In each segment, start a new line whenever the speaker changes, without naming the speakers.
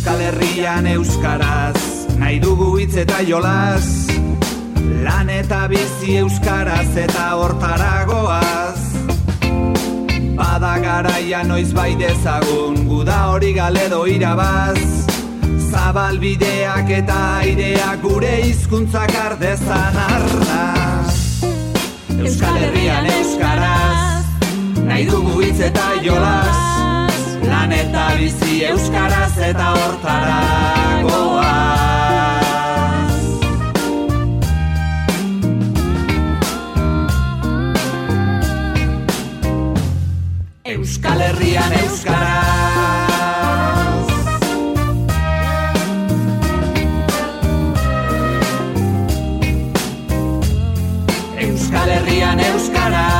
Euskal Herrian euskaraz, nahi dugu hitz eta jolas, lan eta bizi euskaraz eta hortaragoaz. Bada garaia noiz bai dezagun, guda hori galedo irabaz, zabal bideak eta aireak gure hizkuntzak ardezan arnaz. Euskal Herrian euskaraz, nahi dugu hitz eta jolas, lan eta bizi euskaraz eta hortaragoaz. Euskal Herrian euskaraz. Euskal Herrian euskaraz.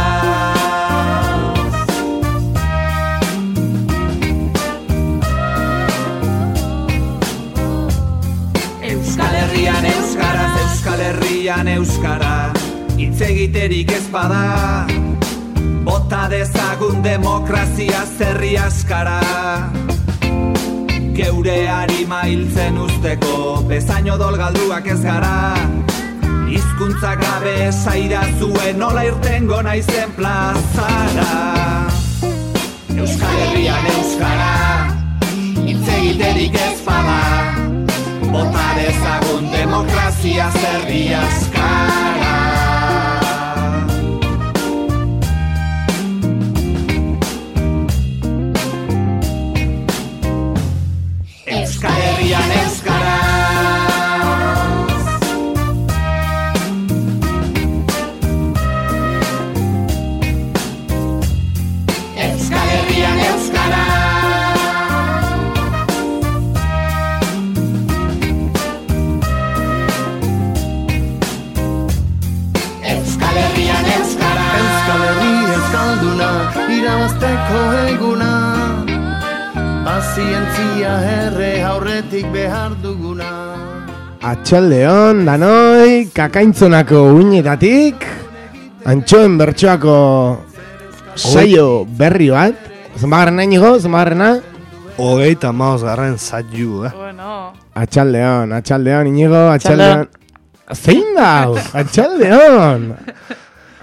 Euskal Herrian euskaraz, Euskal Herrian euskara, hitz egiterik ez bada, bota dezagun demokrazia zerri askara. Geure harima hiltzen usteko, bezain odol galduak ez gara, hizkuntzak gabe esaira zuen nola irtengo naizen plazara. Euskal Herrian euskara, hitz egiterik ez bada, bota dezagun demokrazia zerri askara. Euskal Herrian euskaraz. Euskal Herrian euskaraz. Euskal Herrian euskaraz.
Euskal Herri euskalduna, irabazteko eguna, pazientzia herre aurretik behar duguna.
Atxaldeon, danoi, kakaintzonako uinetatik, antxoen bertsoako saio berri bat. Zenbagarrena inigo, zenbagarrena?
35. saio,
Bueno.
Atxaldeon, inigo, atxaldeon. Zein da,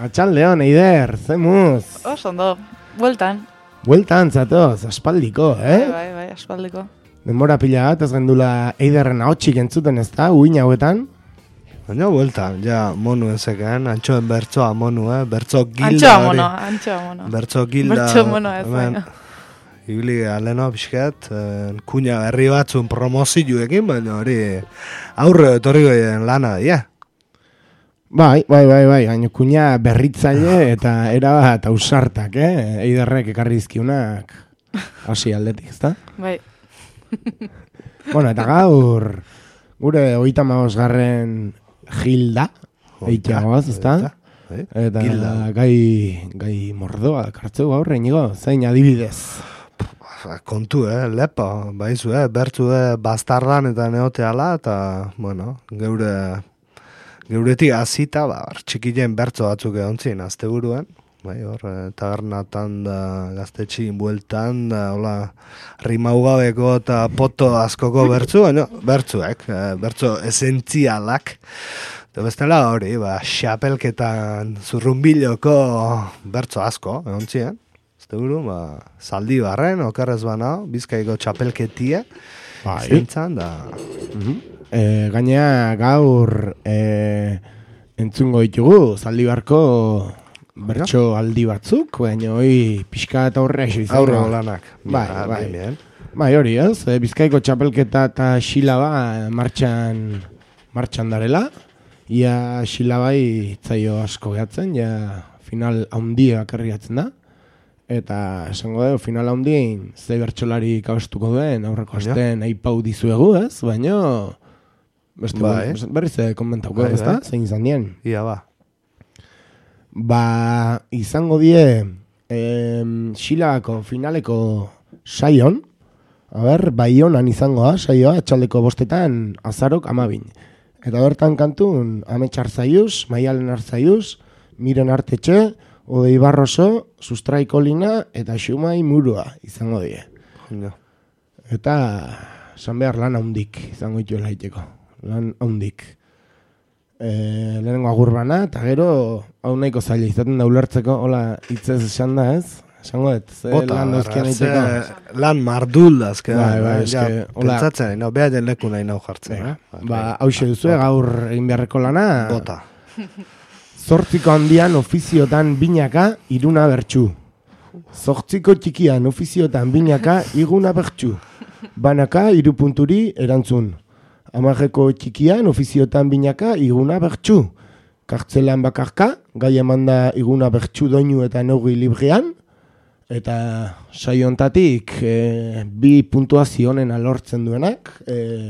atxaldeon, Eider, zemuz.
Ondo, bueltan.
Bueltan zatoz, aspaldiko,
Bai, aspaldiko.
Denbora pila bat, ez gendula Eiderren ahotsik entzuten ez da, uin hauetan.
Baina bueltan, ja monu ezeken, antxoen bertsoa monu, bertso gilda hori.
Antxoa mono.
Bertso gilda.
Bertso mono ez baina.
Ibili aleno pixket, kuña berri batzun promozioekin, baina hori aurre etorriko lana dira.
Bai, baina kuña berritzaile eta erabat ausartak, Eiderrek ekarri dizkiunak hasi aldetik, ezta?
Bai.
Bueno, eta gaur gure 35. Gilda eitiagoaz, ezta? Eta gai mordoa kartzeu gaur, Inigo, zein adibidez?
Kontu, lepo, baizu, bertzu bastardan eta neoteala, eta, bueno, geuretik azita, txikilen bertzo batzuk egontzien, azte buruan, bai, hor, tabernatan da, gaztetxin bueltan, da, hola, rimaugabeko eta poto askoko bertzu, baina, bertzo esentzialak, eta bestela hori, xapelketan zurrunbiloko bertzo asko, egontzien, azte buru, zaldi barren, okarrez banao, Bizkaiko txapelketia, zentzan, da...
Gainea gaur entzungo ditugu Zaldibarko bertso aldi batzuk, baina hoi pixka eta horrea izan.
Aurrego lanak.
Bai, hori ez, Bizkaiko txapelketa eta xilaba martxan darela. Ia xilabai itzaio asko gehatzen, ja final handia karriatzen da. Eta esango dugu, final handien zei bertsolari kaustuko duen, aurreko astean aipau dizuegu, ez? Baina... berriz komentauko, ez da? Zein izan dien?
Ia,
izango die xilabako finaleko saion, Baionan izango da, saioa, atxaldeko 5 azarok 12. Eta bertan kantun, Amets Arzaiuz, Maialen Arzaiuz, Miren Artetxe, Odei Barroso, Sustrai Kolina eta Xumai Murua izango die. Eta esan behar lan haundik izango dituela iteko. Lan haundik. Lehenengo agurbana, eta gero hau nahiko zaila izaten da ulertzeko, hola hitzez esan da ez? Esango dut, lan dauzkian iteko.
Lan mardul dazke.
Bai, eske, hola.
Pentsatzen, no, beha den leku nahi nau jartzen.
Hauxe duzu, gaur egin beharreko lana.
Bota.
8 handian ofiziotan binaka, iruna bertsu. 8 txikian ofiziotan binaka, iguna bertsu. Banaka, 3 punturi erantzun. 10 txikian ofiziotan binaka, iguna bertsu. Kartzelan bakarka, gai emanda iguna bertsu doinu eta neugi librean. Eta saio hontatik 2 puntuazio honen alortzen duenak,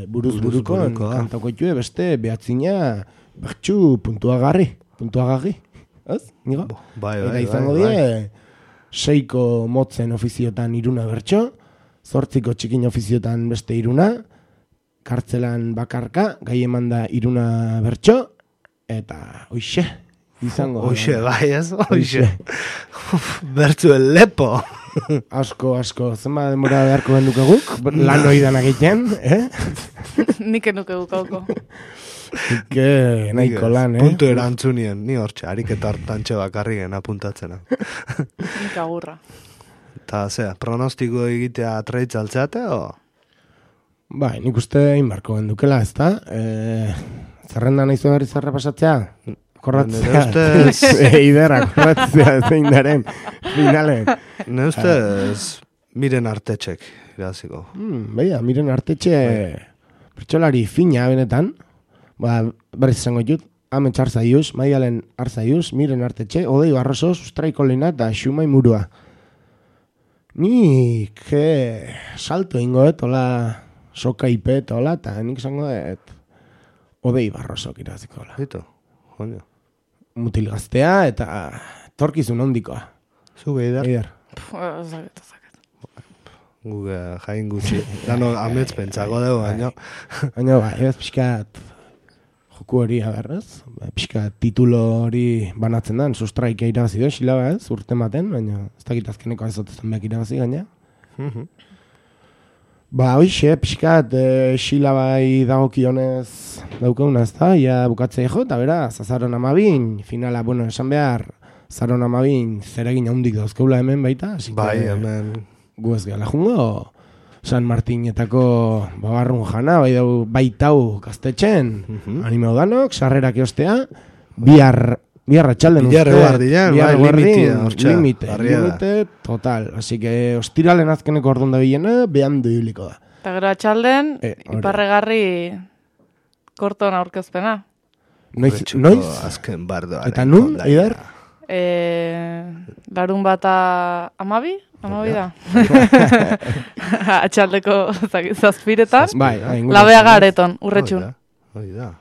buruz buruko kantako itue beste behatzina bertsu puntuagarri. Ez? Nigo? Eta izango die, 6 motzen ofiziotan iruna bertso, 8 txikin ofiziotan beste iruna, kartzelan bakarka, gai emanda iruna bertso, eta hoixe, izango.
Hoixe, bai ez? Hoixe. Bertzu lepo.
Asko, zenba denbora beharko benduke guk, lan oidan egiten,
Nik enuke gukauko.
Ike nahiko lan,
Puntu erantzunien, ni hortxe, ariketa hartantxe bakarri gen apuntatzena.
Nik agurra.
Eta, pronostiko egitea treitzaltzeate, o?
Bai, nik uste inbarko bendukela, ez da? Zerrenda nahi berri zerra pasatzea? Korratzea. Eidera, korratzea, zein daren. Finalen.
Ne ustez, miren artetxek, iraziko.
Baina, miren artetxe, pertsolari fina benetan, berriz izango ditut, ametx arzaiuz, maialen arzaiuz, miren artetxe, Odei Barroso, Sustraiko Lena eta Xumai Murua. Nik salto ingoet, hola, soka ipet, hola, eta nik izango dut Odei Barroso kiraziko, hola.
Zito, joño.
Mutil gaztea eta torkizun ondikoa.
Zuge Eider.
Zaket.
Guge jain gutxi. Dano amets pentsago dugu, baina.
Baina, ez pixkat joku hori aberrez. Pixkat titulo hori banatzen da, Sustraika irabazi du, xilaba ez, urte maten, baina ez dakit azkeneko azotezen behak irabazi gaina. Hoixe, pixkat xilabai dagokionez daukaguna ez da, ia bukatzea jo, eta bera, Zazaron 12, finala, esan behar, Zazaron 12 zeregin haundik dauzkeula hemen baita,
bai, hemen
gu ez gala jungo, San Martinetako babarrun jana, baitau gaztetxen, anime danok, sarrerak eostea, bihar atxalden uste.
Bihar
limite, total. Así que ostiralen azkeneko orduan da bilena, behan duiliko da.
Eta gero atxalden, iparregarri korton aurkezpena.
Noiz?
Azken bardoaren.
Eta nun, Eider?
Larun bata 12? 12 da. Atxaldeko zazpiretan. Labeaga areton, urretxun.
Hoi da.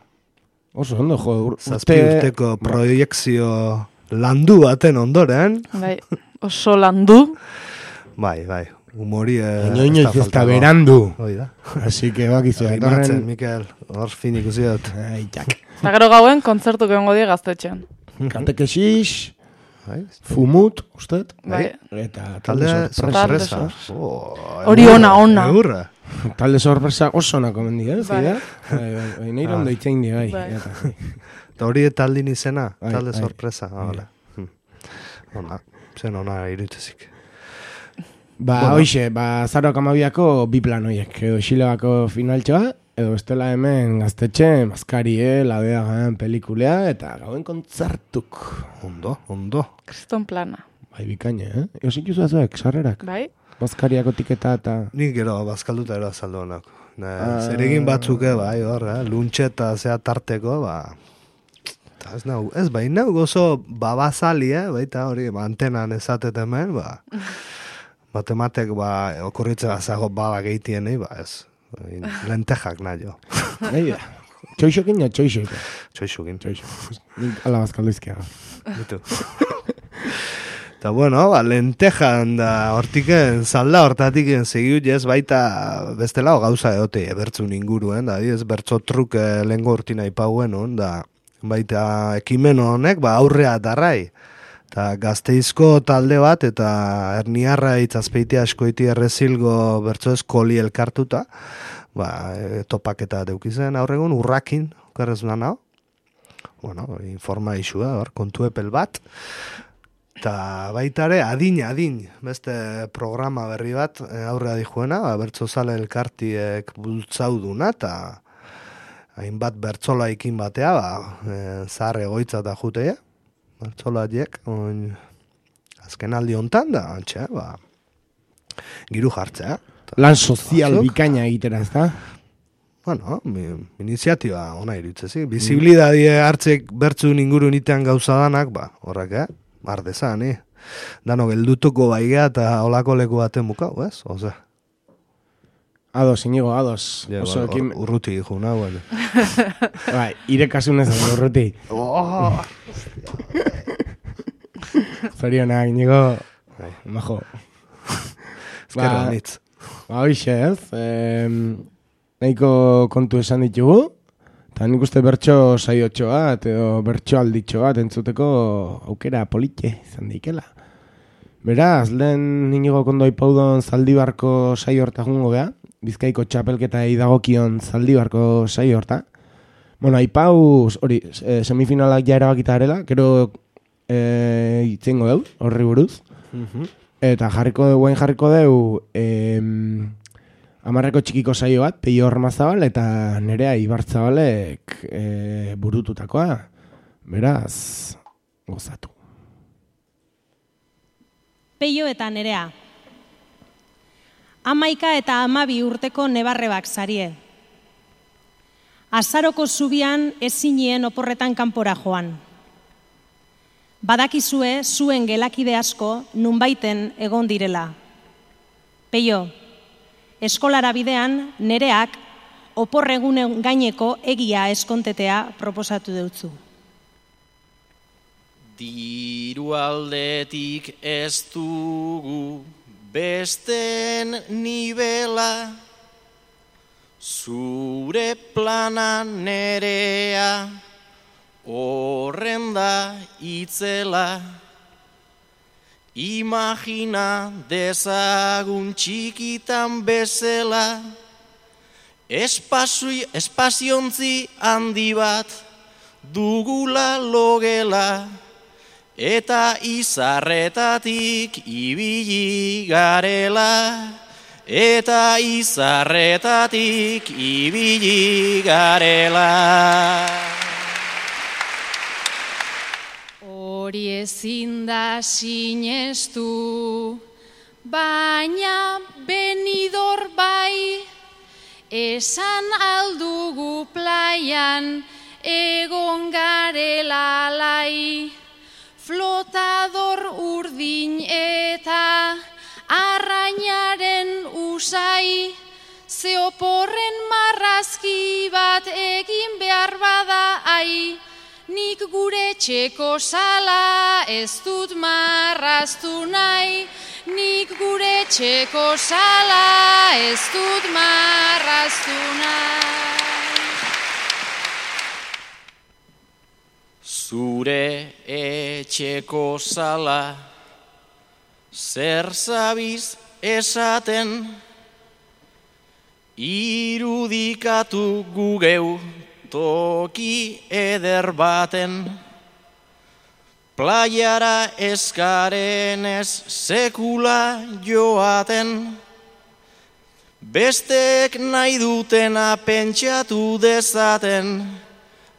Oso ondo, jo.
Zazpi urteko proiekzio landu baten ondoren.
Bai, oso landu.
Bai, humori
inoiz ez da berandu.
Hoi da.
Así que bakizu.
Imatzen, Mikel, hor finik uziot.
Eta gero gauen kontzertu egongo die gaztetxean.
Kantekexix, fumut, ustet?
Bai.
Eta
talde sorpresa.
Hori ona.
Eurra.
Talde sorpresa oso onako mendi, ez? Bai, nahi rondo itzein di, bai.
Eta hori taldin izena, talde sorpresa. Ona irutzezik.
Hoixe, Zaroak 12ko bi plan hoiek, edo Xilebako finaltxoa, edo bestela hemen gaztetxe, Maskarie, Labeagan pelikulea, eta gauen kontzertuk.
Ondo.
Kriston plana.
Bai, bikaina, Eosik juzu azuek, sarrerak?
Bai.
Bazkariako tiketa eta...
Nik gero, bazkalduta ero azaldu honak. Zeregin batzuke, bai, hor, luntxe eta zea tarteko, ez bai, nau gozo babazali, baita hori, antenan ezatet hemen, matematek, okurritze bazago baba gehitien, ez, lentejak nahi jo.
Txoixokin ja,
Txoixokin.
Nik ala bazkaldu izkia.
Bitu. Eta bueno, lentejan da hortiken zalda hortatiken segiut ez baita bestela gauza eote bertzun inguruen, da ez bertzo truk lehengo urtina ipauen, da baita ekimen honek aurrea darrai. Eta Gazteizko talde bat eta Erniarra itzazpeite askoiti errezilgo bertzo eskoli elkartuta, topaketa deukizen aurregun, urrakin, okerrez nana, bueno, informa isua, kontu epel bat, eta baitare, adin, beste programa berri bat, aurrea dijuena, bertzozale elkartiek bultzauduna, eta hainbat bertzolaikin batea, zahar egoitza eta jutea, bertzolaiek, azken aldi hontan da, antxe, giru jartzea.
Lan sozial bikaina egitera, ez da?
Bueno, iniziatiba ona irutzezi. Bizibilidadie hartzek bertzun inguru nitean gauza danak, horrek, ardezan, Dano geldutuko baigea eta olako leku baten bukau, ez? Oza.
Ados, Inigo, ados.
Urruti juna, bueno.
Irekasunez urruti. Zorionak, Inigo. Majo.
Ezkerra nitz.
Hoxe, ez? Nahiko kontu esan ditugu, eta nik uste bertso saiotxo bat, edo bertso alditxo bat entzuteko aukera politxe izan daikela. Beraz, lehen Inigo kondo ipaudon Zaldibarko saio horta jungo geha, Bizkaiko txapelketa idagokion Zaldibarko saio horta. Bueno, aipauz, hori, semifinalak ja erabakita arela, kero itzengo deu, horri buruz. Eta jarriko deu, amarreko txikiko saio bat, Peio Ormazabal eta Nerea Ibartzabalek burututakoa. Beraz, gozatu.
Peio eta Nerea. 11 eta 12 urteko nebarrebak zarie. Azaroko zubian ezinien oporretan kanpora joan. Badakizue zuen gelakide asko nunbaiten egon direla. Peio, eskolara bidean Nereak oporregunen gaineko egia eskontetea proposatu deutzu.
Diru aldetik ez dugu besten nibela, zure plana Nerea horren da itzela. Imagina dezagun txikitan bezala, espaziontzi handi bat dugula logela, eta izarretatik ibili garela, eta izarretatik ibili garela.
Hori ezin da sinestu, baina Benidor bai, esan aldugu plaian egon garela alai. Flotador urdin eta arrainaren usai, ze oporren marrazki bat egin behar bada ai. Nik gure txeko sala ez dut marraztu nahi, nik gure txeko sala ez dut marraztu nahi.
Zure etxeko sala zer zabiz esaten, irudikatu gugeu toki eder baten. Playara eskaren ez sekula joaten, bestek nahi dutena pentsatu dezaten,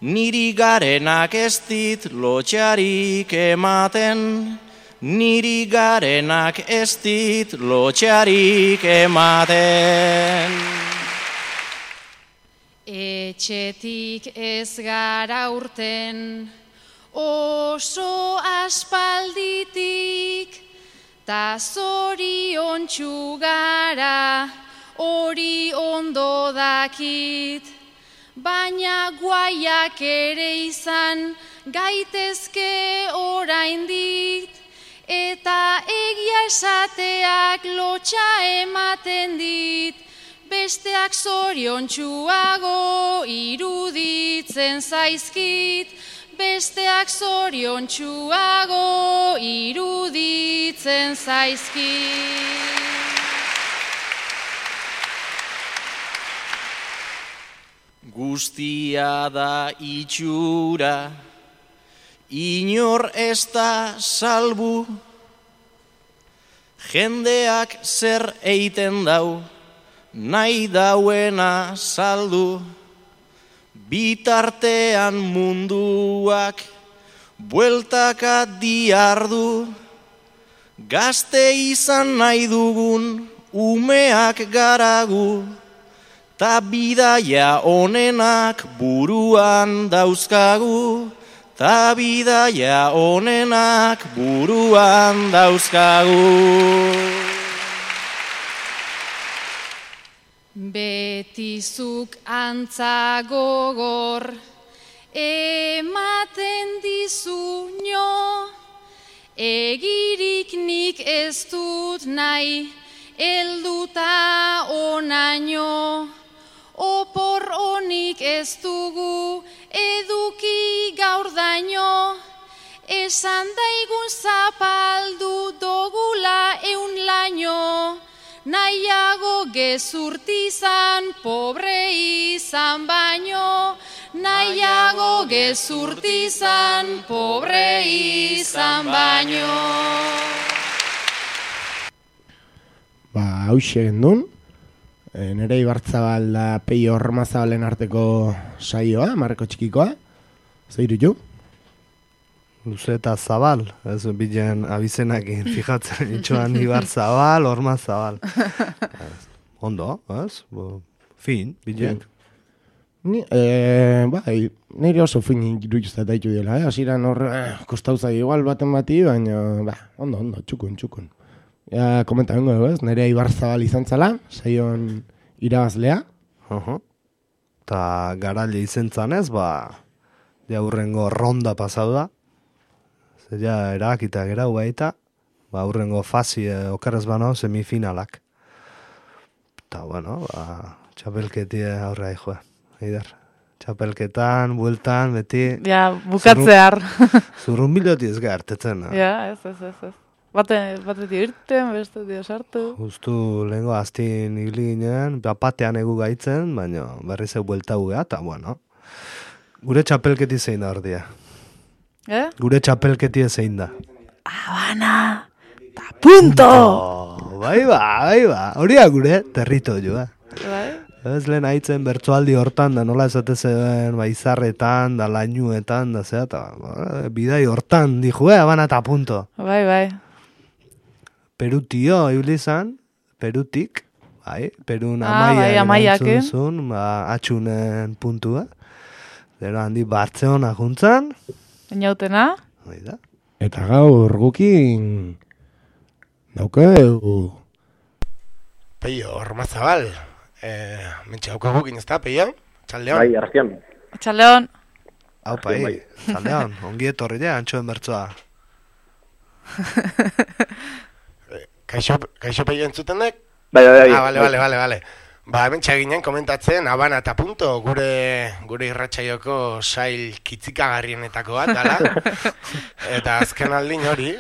niri garenak ez dit lotxarik ematen, niri garenak ez dit lotxarik ematen.
Etxetik ez gara urten, oso aspalditik, ta zoriontsu gara, hori ondo dakit. Baina guaiak ere izan gaitezke oraindik, eta egia esateak lotxa ematen dit, besteak zoriontsuago iruditzen zaizkit, besteak zoriontsuago iruditzen zaizkit.
guztia da itxura, inor ez da salbu, jendeak zer eiten dau, nahi dauena saldu, bitartean munduak bueltaka diardu, gazte izan nahi dugun umeak garagu, ta bidaia onenak buruan dauzkagu, ta bidaia onenak buruan dauzkagu.
Betizuk antza gogor, ematen dizu nio, egirik nik ez dut nahi, elduta onaino, opor honik ez dugu, eduki gaur daino, esan daigun zapaldu dogula eun laino, nahiago gezurtizan pobre izan baino, nahiago gezurtizan pobre izan baino.
Hauxe gendun, nire Ibarzabal da Peio Ormazabalen arteko saioa, marreko txikikoa, zeiru ju?
Luze eta Zabal, ez bilen abizenakin, fijatzen, itxoan Ibarzabal, Ormazabal. Ondo, ez? Fin, bilen.
Nire oso fin iruduzta daitu dela, hasiran hor, kostauzai igual baten bati, baina, ondo, txukun. Ja, komenta bengo dugu, ez? Nerea Ibarzabal izan zala, saion irabazlea.
Ta garaile izen zanez, ja hurrengo ronda pasau da. Ja erakita gerau baita, hurrengo fasi okerrez bano semifinalak. Ta bueno, txapelketi aurra joa, Eider. Txapelketan, bueltan, beti...
Ja, bukatzear.
Zurrun biloti ez gartetzen.
Ja, ez. Batetik irten, bestetik sartu.
Justu lehenko aztin ibili ginen, batean egu gaitzen, baina berriz buelta gugea, eta bueno. Gure txapelketi zein da ordia. Gure txapelketi zein da.
Habana! Ta punto!
Bai ba. Horia gure territoioa.
Bai?
Ez lehen haitzen bertsoaldi hortan, da nola esate zen, izarretan, da lainuetan, da zea, eta bidai hortan, dijue, Habana eta punto.
Bai.
Perutio, ibilizan, Perutik, Perun
amaiak
erantzun, atxunen puntua. Zero handi Bartzeona juntzan.
Inautena.
Eta gaur gukin daukeu Peio Ormazabal. Mentxe dauka gukin ez da, Peio? Txaldeon?
Bai, arzian.
Txaldeon.
Hau, txaldeon, ongi etorri ja, antxoen bertzoa.
Kaixo Peio entzuten dek?
Bai.
Bale. Hemen txaginen komentatzen, Habana eta punto, gure irratsaioko sail kitzikagarrienetako bat, dala. Eta azken aldin hori,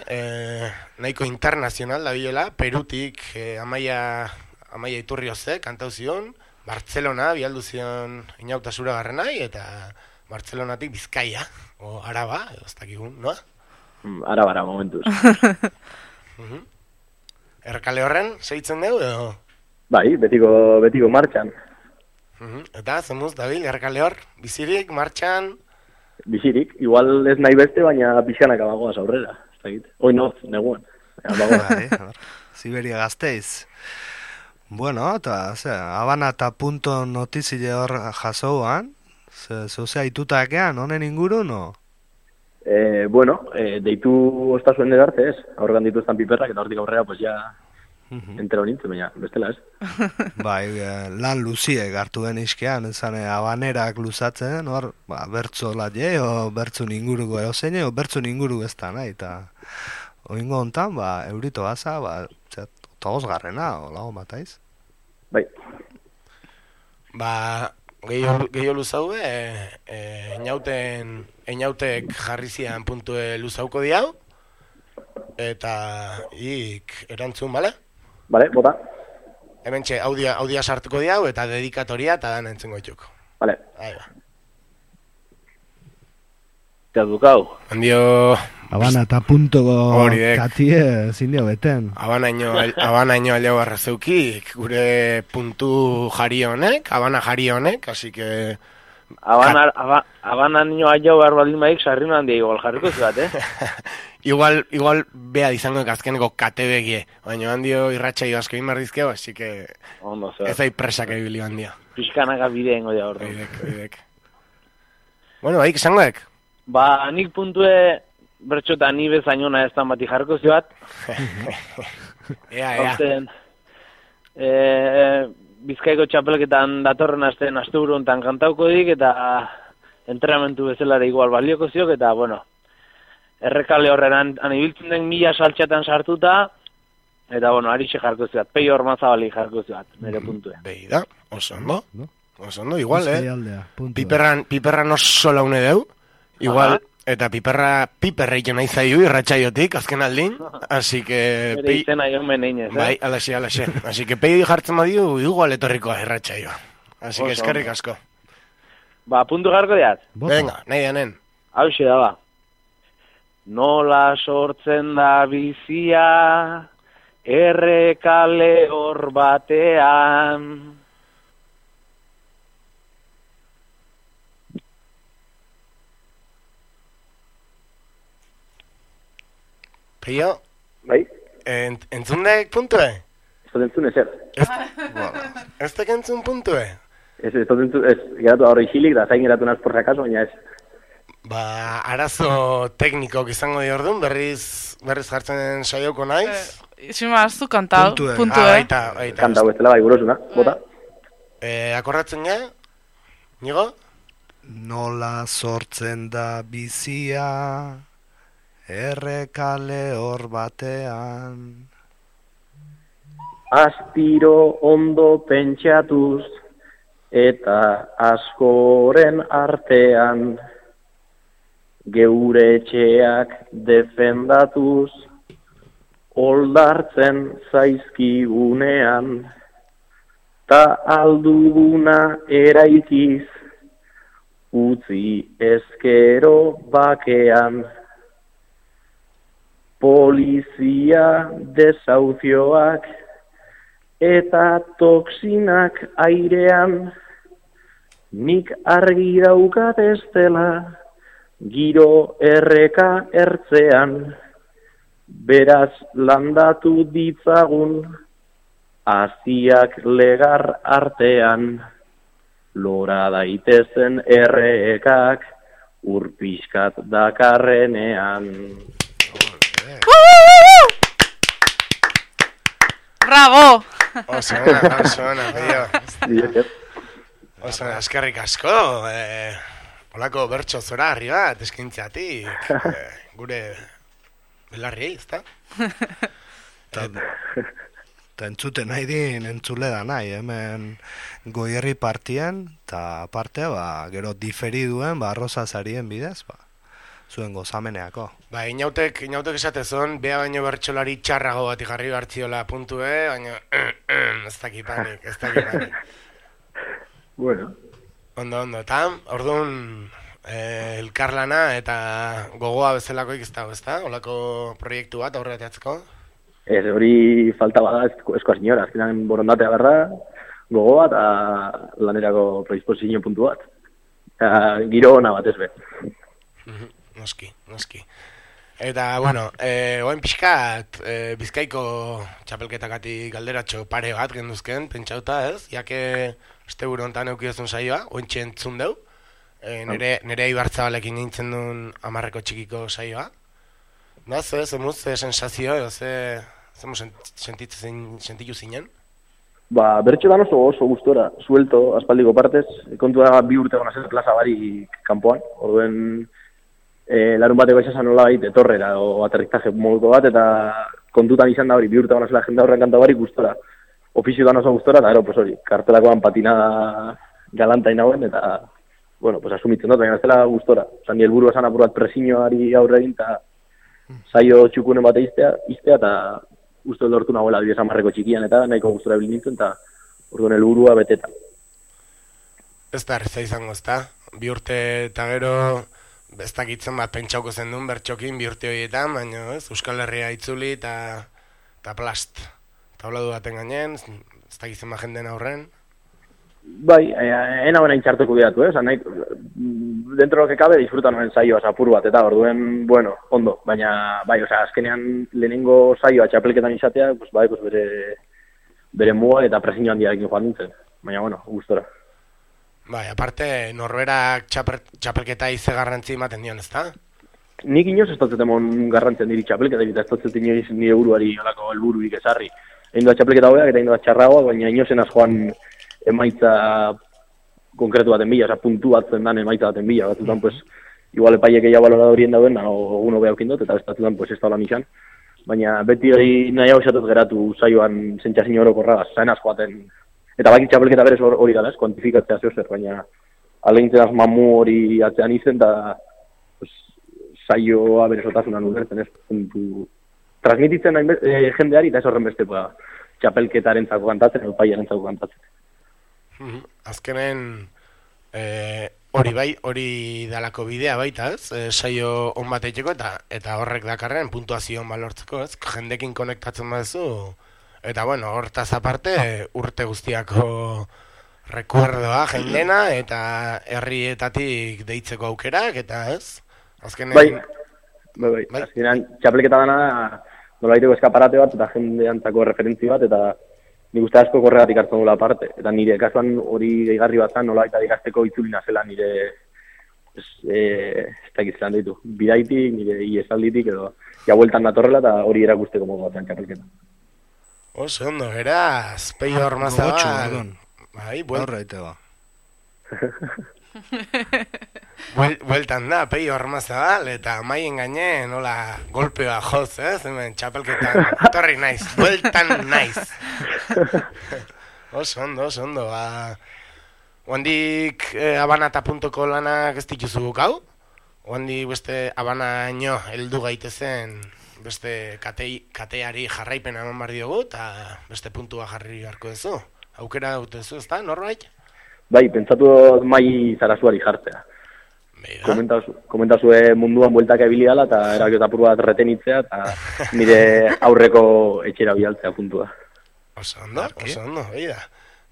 nahiko internazional da bilela, Perutik Amaia Iturrioze kantau zion, Bartzelona bialdu zion inautasura garrenai, eta Bartzelonatik Bizkaia, o Araba, ez dakigun, noa?
Arabara, momentuz.
Erkale horren, segitzen dugu, edo?
Bai, betiko martxan.
Eta, zemuz, Dabil, erkale hor, bizirik, martxan?
Bizirik, igual ez nahi beste, baina pixkanaka bagoaz aurrera, ez dakit. Oinoz, neguan.
Siberia Gasteiz. Bueno, eta, Habana eta punto notizile hor jasouan, zozea itutakean, honen inguru, no?
Deitu ostazuen edarte ez, aurregan dituztan piperrak, eta hortik aurrera, pues ja, entero nintzen, baina, bestela ez.
Bai, lan luziek hartu den iskean, ezane, habanerak luzatzen, hor, bertzo latje, o bertzun inguruko erozeine, o bertzun inguru ez da, nahi, eta oingo hontan, eurito baza, togoz garrena, o lago mataiz.
Bai.
Gehiago luzaue, einautek jarri zian puntue luzauko diau, eta erantzun, bale?
Bale, bota.
Hemen audia sartuko diau, eta dedikatoria, eta dan entzungo itxuko.
Bale.
Ahí va.
Kadukau.
Handio...
Habana eta puntoko
Horiek.
katie zindio beten.
Habanaino aljau arrazeukik, gure puntu jari honek, Habana jari honek, así que...
Habanaino aljau behar baldin maik, sarrino handia igual jarriko zuat,
Igual bea izango azkeneko kate begie, baina handio irratxaio asko inbardizkeo, así que...
Ondo, zer.
Ez da presak ebili handia.
Pixkanaka bideen goia horre.
Oidek. Bueno, haik izangoek?
Ba, nik puntue... Bertxota ni bezainona ez da bati jarko zioat.
Ea.
Bizkaiko txapelketan datorren asteburu hontan kantauko dik, eta entrenamentu bezalare igual balioko ziok, eta, bueno, errekale horren anibiltzen den 1000 saltxatan sartuta, eta, bueno, arixe jarko zioat, Peio Ormazabali jarko zioat, nire puntue.
Beida, oso ondo, igual, Piperran oso laune deu, igual... Eta piperra ito nahi zaiu irratxaiotik, azken aldin, así que...
Bere izena jo meneinez,
Bai, alaxe. Así que peio jartzen badiu, igual etorrikoa irratxaioa. Así que eskerrik asko.
Ba, puntu garko diat?
Venga, nahi danen.
Hauxe da, ba. Nola sortzen da bizia, errekale hor batean...
Peio?
Bai?
Entzundek puntue?
Ez dut entzun ezer.
Ez dek entzun puntue?
Ez dut entzun, geratu horri xilik, da zain geratu nazporra kaso, baina ez.
Ba, arazo teknikok izango di orduan, berriz jartzen saioko naiz.
Isima, ez du kantau, puntue.
Baita.
Kantau ez dela bai burosuna, bota.
Akordatzen ja? Nigo?
Nola sortzen da bizia... Errekale hor batean.
Astiro ondo pentsatuz eta askoren artean, geure etxeak defendatuz, oldartzen zaizkigunean, ta alduguna eraikiz, utzi ezkero bakean. Polizia desauzioak eta toksinak airean, nik argi daukat ez dela, giro erreka ertzean, beraz landatu ditzagun, aziak legar artean, lora daitezen errekak, urpiskat dakarrenean.
Bravo!
Oso ona, Peio. Oso, eskerrik asko. Olako bertso zora harri bat, eskintziatik. Gure belarriei, ezta?
Eta entzuten nahi din, entzule da nahi, hemen goierri partien, eta parte, gero diferiduen, arroza zarien bidez, zuen gozameneako.
Ba, inautek esatezon, bea baino bertsolari txarrago bat jarri hartziola puntue, baina ez dakipanik.
Bueno.
Ondo, eta orduan elkarlana eta gogoa bezalakoik ez dago, ezta? Olako proiektu bat aurreateatzeko?
Ez, hori falta bada eskoa senyora, azkenan borondatea berra, gogoa eta lanerako predisposizio puntu bat. Giro ona bat ez be.
Noski. Eta, bueno, oain pixkat, Bizkaiko txapelketakatik galderatxo pare bat genduzken, pentsauta ez, jake este buru ontan eukiozun saioa, ointxe entzun deu, nire Ibarzabalekin nintzen duen 10 txikiko saioa. Zemuz, sensazio, zemuz sentitu zinen?
Ba, bertxotan oso gustora, suelto, aspaldiko partez, kontua 2 urte gona zen plaza barik kanpoan, orduen larun bateko esasan nola baita etorrera o aterrizaje moduko bat, eta kontutan izan da hori, 2 urte gona zela jenda horren kanta barik gustora, ofiziotan oso gustora, eta ero, pues hori, kartelakoan patinada galanta inagoen, eta, bueno, pues asumitzen dut, baina ez dela gustora. Osa, ni helburu esan apurat presiñoari aurre egin, eta saio txukunen bate iztea, eta uste lortu nagoela 10 txikian, eta nahiko gustora bilin nintzen, eta orduan helburua beteta.
Ez da erreza izango, ez da? 2 urte eta gero, ez dakitzen bat pentsauko zen duen bertxokin 2 urte horietan, baina ez, Euskal Herria itzuli eta plast. Tabladu baten gainen, ez dakitzen bat jenden aurren.
Bai, ena buena intxartuko bidatu, nahi, dentro lo que cabe disfrutan noen saioa apur bat, eta orduen, bueno, ondo, baina, bai, azkenean lehenengo saioa txapelketan izatea, pues, bai, pues, bere muga eta presiño handiarekin joan nintzen, baina, bueno, gustora.
Bai, aparte, norberak txapelketa ize garrantzi ematen dion, ez da?
Nik inoz ez dut emon garrantzen diri txapelketa, eta ez dut inoiz nire buruari olako helbururik ezarri. Egin doa txapelketa hobeak eta egin doa txarragoa, baina inozen joan emaitza konkretu baten bila, puntu batzen dan emaitza baten bila, batzutan, pues, igual epaiek egia balora horien dauen, egun hobea okindot, eta bestatutan, pues, ez da hola nixan. Baina beti nahiago esatut geratu saioan zentxazin orokorra, zainaz joaten, eta bakit txapelketa berez hori dala, kuantifikatzea zehozer, baina alegintzen az mamu hori atzean izen, eta pues, saioa berezotasunan ulertzen, ez, puntu. Transmititzen jendeari, eta ez horren beste, txapelketaren zako kantatzen, edo paiaren zako kantatzen.
Azkenen hori dalako bidea baita, ez? Saio on bat egiteko eta horrek dakarren puntuazio on balortzeko, ez? Jendekin konektatzen baduzu eta bueno, hortaz aparte urte guztiako rekuerdoa jendena eta herrietatik deitzeko aukerak eta, ez? Azkenen
Bai. Azkenean txapelketa dana nolaiteko eskaparate bat eta jendeantzako referentzi bat eta nik uste asko korregatik hartzen dula aparte. Eta nire kasuan hori gehigarri bat zan, nola eta ikasteko itzulina zela nire ez dakit zelan ditu. Bidaitik, nire iesalditik edo bueltan datorrela eta hori erakusteko modu batean txapelketa.
Oso ondo, eraz, Peio Ormazabal. Bai, bueltan da, Peio Ormazabal, eta maien gainen, nola, golpea joz, hemen txapelketan, torri naiz, bueltan naiz. Oso ondo, Oandik abanata.ko lanak ez dituzu bukau? Oandik beste abanaino heldu gaitezen beste kateari jarraipena eman bar diogu eta beste puntua jarri beharko duzu. Aukera dutezu, ez da, norbait?
Bai, pentsatu mai zarasuari jartzea. Komentazue munduan bueltak ebili dala eta erakiota apur bat retenitzea eta nire aurreko etxera bialtzea puntua.
Oso ondo, behi da.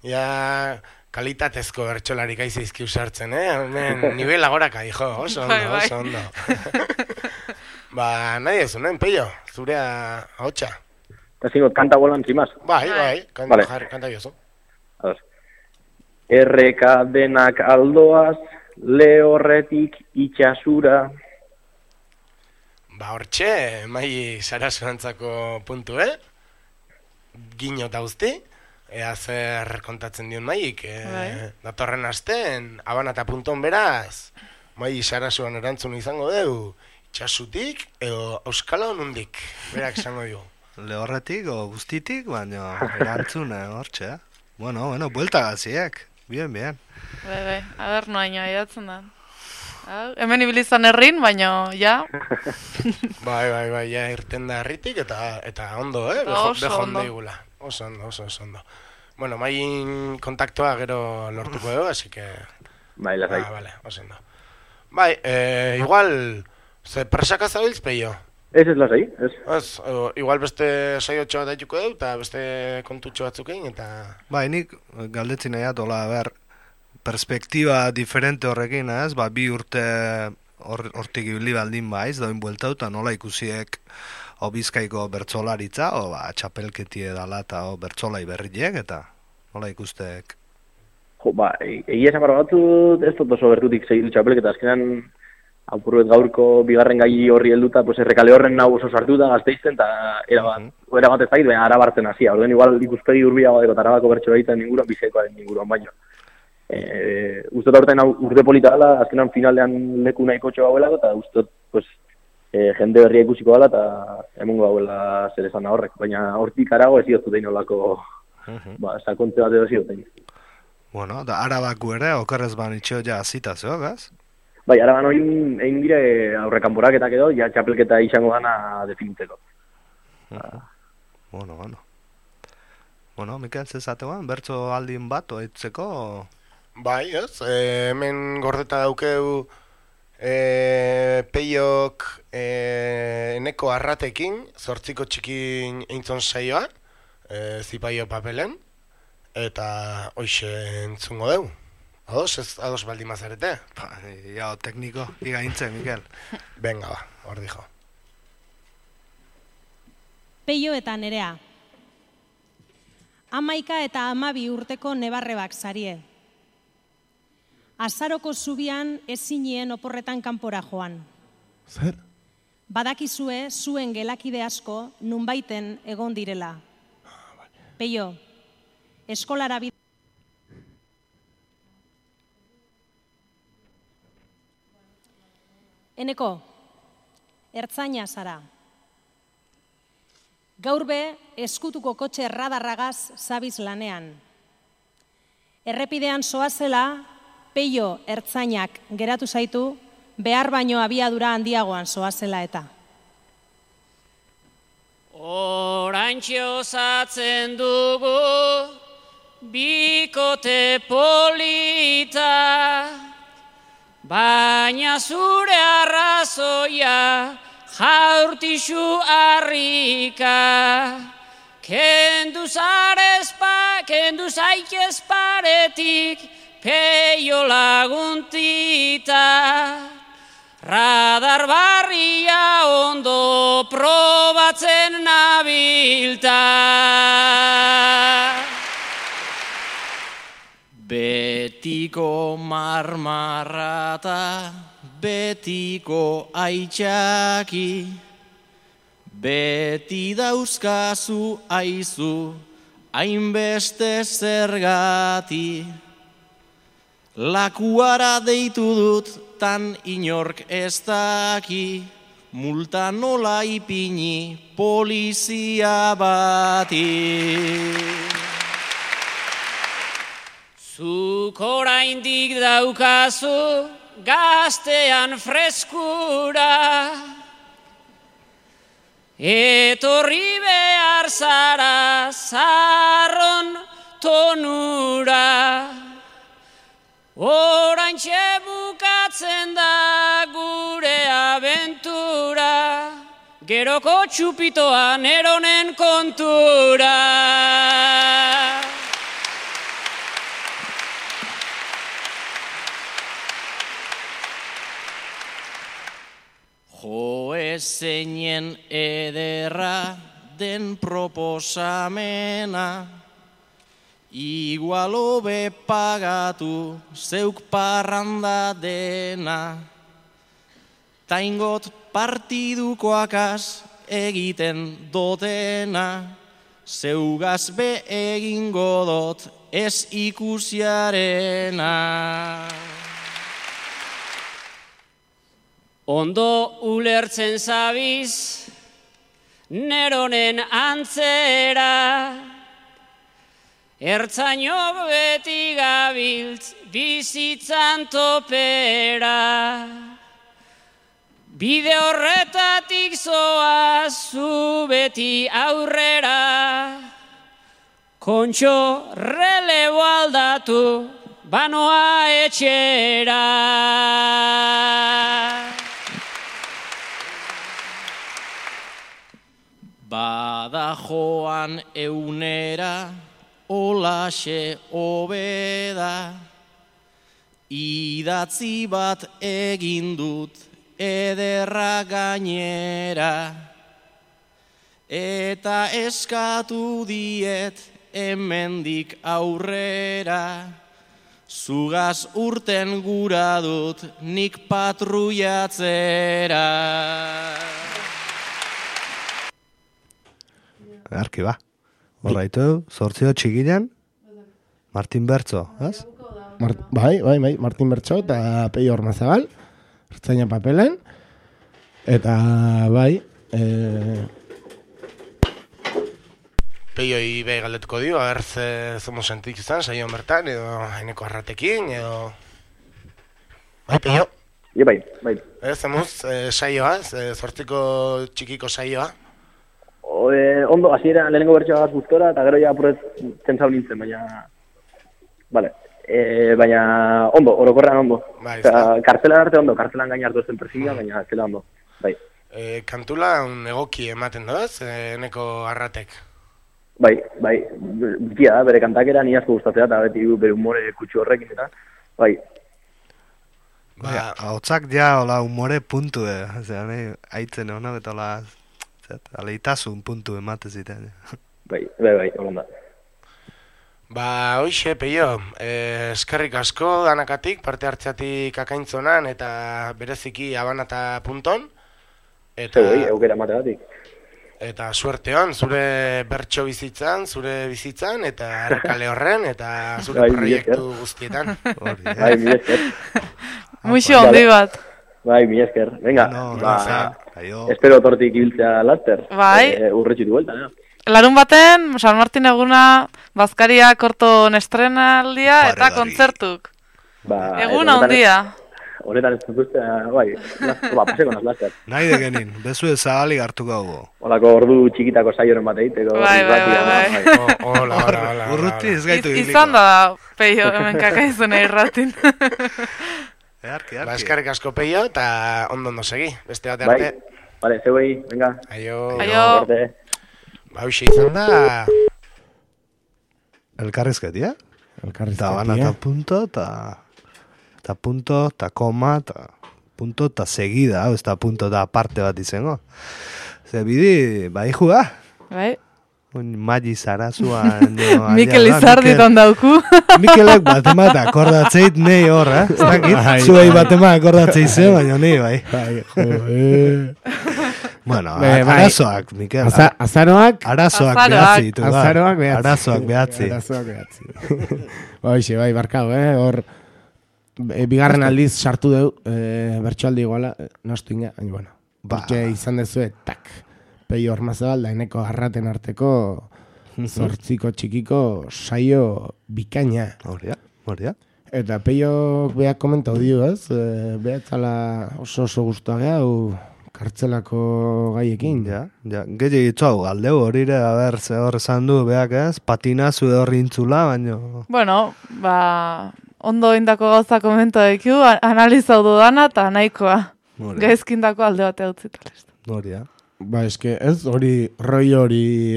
Ja, kalitatezko bertxolarik aizeizki usartzen, Nivela goraka, hijo, oso ondo. Ba, nahi ez, Peio, zurea ahotsa.
Eta zingot, kanta bolan, zimaz?
Bai, kanta biozu.
Erreka denak aldoaz, lehorretik itxasura.
Ba, hortxe, mai sarasuantzako puntu, Gino eta guzti, ea zer kontatzen dion maik, datorren asten, abanata.on beraz, mai sarasuan erantzun izango dugu, itxasutik edo euskala honundik, berak izango dugu.
Lehorretik o guztitik, baina erantzun hortxe, Bueno, buelta gaziak, bien.
Bai, aber noaino idatzen da. Hemen ibilizan herrin, baina, ja.
Bai, ja, irten da herritik eta ondo, bejonde igula. Oso ondo. Bueno, main kontaktua gero lortuko dugu, así que...
Bai, lasai.
Vale, oso ondo. Bai, igual, ze presaka zabiltz, Peio?
Ez lasai, ez.
Igual beste saiotxo bat daituko dugu, eta beste kontutxo batzukein, eta...
Bai, nik galdetzen nahiat, perspektiba diferente horrekin, ez? 2 urte hortik ibili baldin baiz, doin bueltauta, nola ikusiek Bizkaiko bertsolaritza, txapelketi edala eta bertsolai berriek, eta nola ikusteek?
Egia esan batzut ez dut oso bertutik segitu txapelketa, azkenan apurret gaurko bigarren gai horri helduta, errekale horren nahu oso sartuta gazteizten, eta erabat ez dakit, baina arabartzen hasia. Orduen igual ikuspegi urbia badeko eta arabako bertsolaritzen inguruan, Bizkaikoaren inguruan baino. Uztot aurten urte polita dela, azkenan finalean leku nahiko txo gauelako, eta uztot, jende berria ikusiko dela, eta emongo gauela zer esan horrek. Baina hortik arago ez ziotu dein olako, sakontze bat edo ziotein.
Bueno, da arabaku ere, okerrez banitxeo ja azita zeo, gaz?
Bai, araban hori egin dire aurrekanporaketak edo, ja txapelketa izango dana definitzeko.
Bueno, Mikel, zezatean, bertso aldin bat oitzeko?
Bai, ez? Hemen gordeta daukeu Peiok eneko arratekin, 8 txikin eintzon saioa, zipaio papelen, eta hoxe entzungo deu. Ados baldin mazarete?
Ja, tekniko, igaintzen, Mikel.
Venga, ba, hor dijo.
Peio eta Nerea. 11 eta 12 urteko nebarrebak zarie. Azaroko zubian ezinien oporretan kanpora joan.
Zer?
Badakizue zuen gelakide asko nunbaiten egon direla. Peio, eskolara bidea. Eneko, ertzaina zara. Gaur be, eskutuko kotxe radarragaz zabiz lanean. Errepidean zoazela, Peio ertzainak geratu zaitu, behar baino abiadura handiagoan zoazela eta.
Oraintxe osatzen dugu, bikote polita, baina zure arrazoia jaurtixu harrika. Kendu zaitez paretik, Peio laguntita. Radar barria ondo probatzen nabilta. Betiko marmarrata, betiko aitxaki, beti dauzkazu aizu, hainbeste zergati. Lakuara deitu dut, tan inork ez daki, multa nola ipini polizia bati. Zuk oraindik daukazu gaztean freskura, etorri behar zara zarron tonura. Oraintxe bukatzen da gure abentura, geroko txupitoa neronen kontura. Jo ezeinen ederra den proposamena, igual hobe pagatu zeuk parranda dena. Taingot partidukoakaz egiten dotena, zeugaz be egingo dot ez ikusiarena. Ondo ulertzen zabiz, neronen antzera, ertzaino beti gabiltz bizitzan topera. Bide horretatik zoaz zu beti aurrera, kontxo relebo aldatu banoa etxera. Bada joan eunera, olaxe obeda, idatzi bat egin dut ederra gainera, eta eskatu diet hemendik aurrera, zugaz urten gura dut nik patrullatzera.
Arki ba. Horraitu, 8 txikilan, Martin Bertzo, ez?
Bai, Martin Bertzo eta Peio Ormazabal, ertzaina papelen, eta bai...
Peioi behi galdetuko dio, ager zomo sentik izan, saio bertan, edo eneko arratekin, edo... Bai, Peio?
Bai.
Zemuz, saioa, 8 txikiko saioa.
Ondo, hasiera lehenengo bertsoa gaz gustora, eta gero ja apurret zentzau nintzen, baina... Vale. baina ondo, orokorrean ondo.
Bai,
Kartzelan arte ondo, kartzelan gaina hartu zen persigia, baina zela ondo. Bai.
Kantula un egoki ematen doaz, eneko arratek.
Bai, bitia da, bere kantakera ni asko gustatzea, eta beti bere humore kutsu horrekin, eta bai.
Hotzak ja, hola, humore puntu, osea, haitzen honak, eta hola, aleitasun puntu emate zitean.
Bai, hola da.
Hoxe, Peio, eskerrik asko danakatik, parte hartzeatik akaintzonan, eta bereziki abana eta punton.
Zeu, eukera mategatik.
Eta suerte hon, zure bertso bizitzan, zure bizitzan, eta errekale horren, eta zure proiektu guztietan.
Bai, mi esker.
Muixo handi bat.
Bai, mi esker. Venga, espero tortik ibiltzea laster.
Bai.
Urretxitu bueltan,
Larun baten, San Martin eguna, Bazkaria korton estrenaldia eta kontzertuk. Egun handia.
Horetan ez dutuztea, bai, paseko naz laster.
Nahi degenin, bezu ezagalik hartu gaugo.
Holako ordu txikitako saioren bat egiteko.
Bai.
Hola.
Urruti ez gaitu giliko.
Izan da, Peio, hemen kakaizuna irratin.
Earki.
Eskerrik asko, Peio, eta ondo segi, beste bat arte.
Vale, zeuei, venga.
Aio. Hauxe izan da...
Elkarrizketia?
Elkarrizketia.
Eta bana eta punto, eta punto, eta koma, eta punto, eta segida, ez da punto, eta parte bat izango. Ze bidi, bai juga?
Bai.
Magi Zarazua...
Mikel Izardi tondauku.
Mikelek batemat akordatzeit nei hor, ez dakit? Zuei batemat akordatzeit zen, baina nei bai. Bueno, arazoak, Mikel.
Azaroak?
Arazoak behatzi ditu.
Azaroak behatzi.
Arazoak behatzi.
Bai, barkau, hor... Bigarren aldiz sartu deu, bertsoaldi iguala, nostu inga, bueno. Porque izan dezue, tak. Peio Ormazabal, daineko arraten arteko zortziko txikiko saio bikaina.
Horia.
Eta Peio beak komentau dio, ez? Behatzala oso guztua geha, kartzelako gaiekin.
Ja. Gehi hau, aldeu horire, ze hor esan du, beak ez? Patinazu hor intzula, baino...
Bueno, ondo indako gauza komento ekiu, analizau dudana eta nahikoa. Gaizkindako alde batea utzitalez.
Horia.
Eske, ez, hori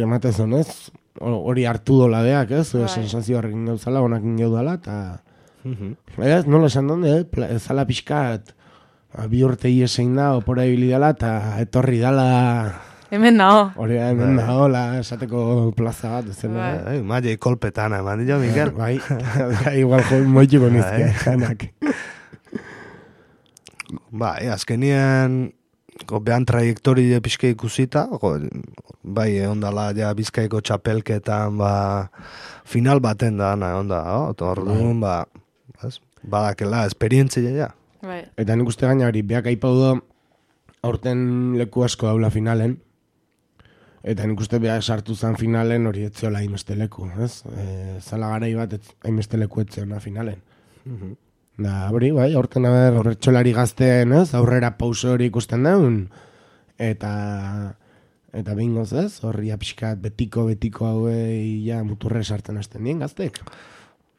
ematezon, ez? Hori hartu dola deak, ez? Sensazio horrekin gauzala, onakin gaudala, eta... Ez, nola esan donde, ezala pixkat, bi urte iesein da, opora ibilidala, eta etorri dala...
Hemen naho.
Hori, hemen naho, esateko plaza bat, ez zela.
Maile kolpetana, eman dira, Mikel?
Bai, igual moitxiko nizke, janak.
Bai, azkenien... Behan trajektori pixke ikusita, bai, ondala, ja, Bizkaiko txapelketan, final baten da, onda, orduan, badakela, esperientzia, ja.
Eta nik uste gaina hori, beak aipau do, aurten leku asko daula finalen, eta nik uste beha sartu zen finalen hori etzeola hainbeste leku, ez? Zala garai bat hainbeste leku etzeona finalen. Da, hori, bai, aurten horretxolari gazteen, ez? Aurrera pauso hori ikusten daun. Eta bingoz, ez? Horri apixkat betiko hauei ja muturre sartzen hasten dien gaztek.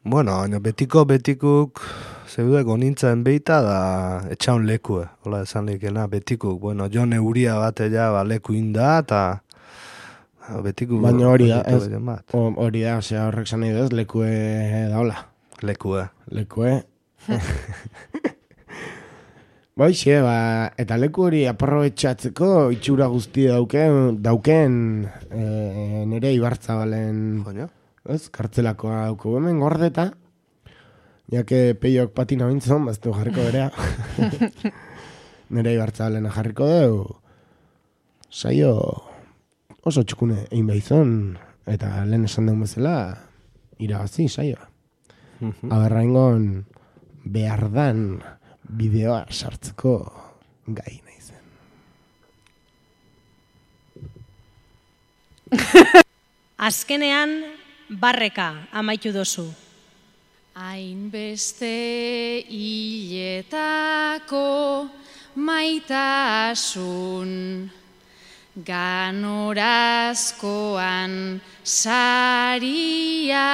Bueno, betikuk zeudeko nintzen beita da etxaun lekue. Hola esan lekena, betikuk. Bueno, Jon Euria bate ja leku inda, eta betikuk...
Baina hori da, ez? Hori da, osea, horrek zan nahi duz, lekue da hola. Lekue. Baixe, eta leku hori aprobetxatzeko itxura guztia dauken nire Ibarzabalen kartzelakoa dauko hemen gordeta, jake Peiok patina bintzon, baztu jarriko berea. Nire Ibarzabalen jarriko deu, saio oso txukune egin behizon, eta lehen esan deun bezala, irabazi saioa. Aberraingon behardan bideoa sartzeko gai nahi zen.
Azkenean, barreka amaitu dozu.
Hainbeste hiletako maitasun, ganorazkoan saria,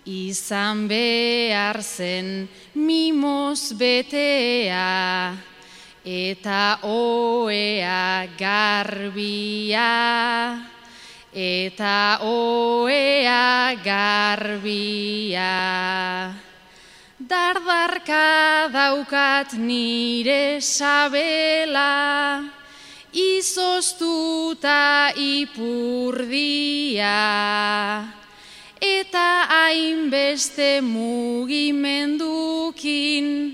izan behar zen mimoz betea, eta oea garbia, eta oea garbia. Dardarka daukat nire sabela, izoztuta ipurdia, eta hainbeste mugimendukin,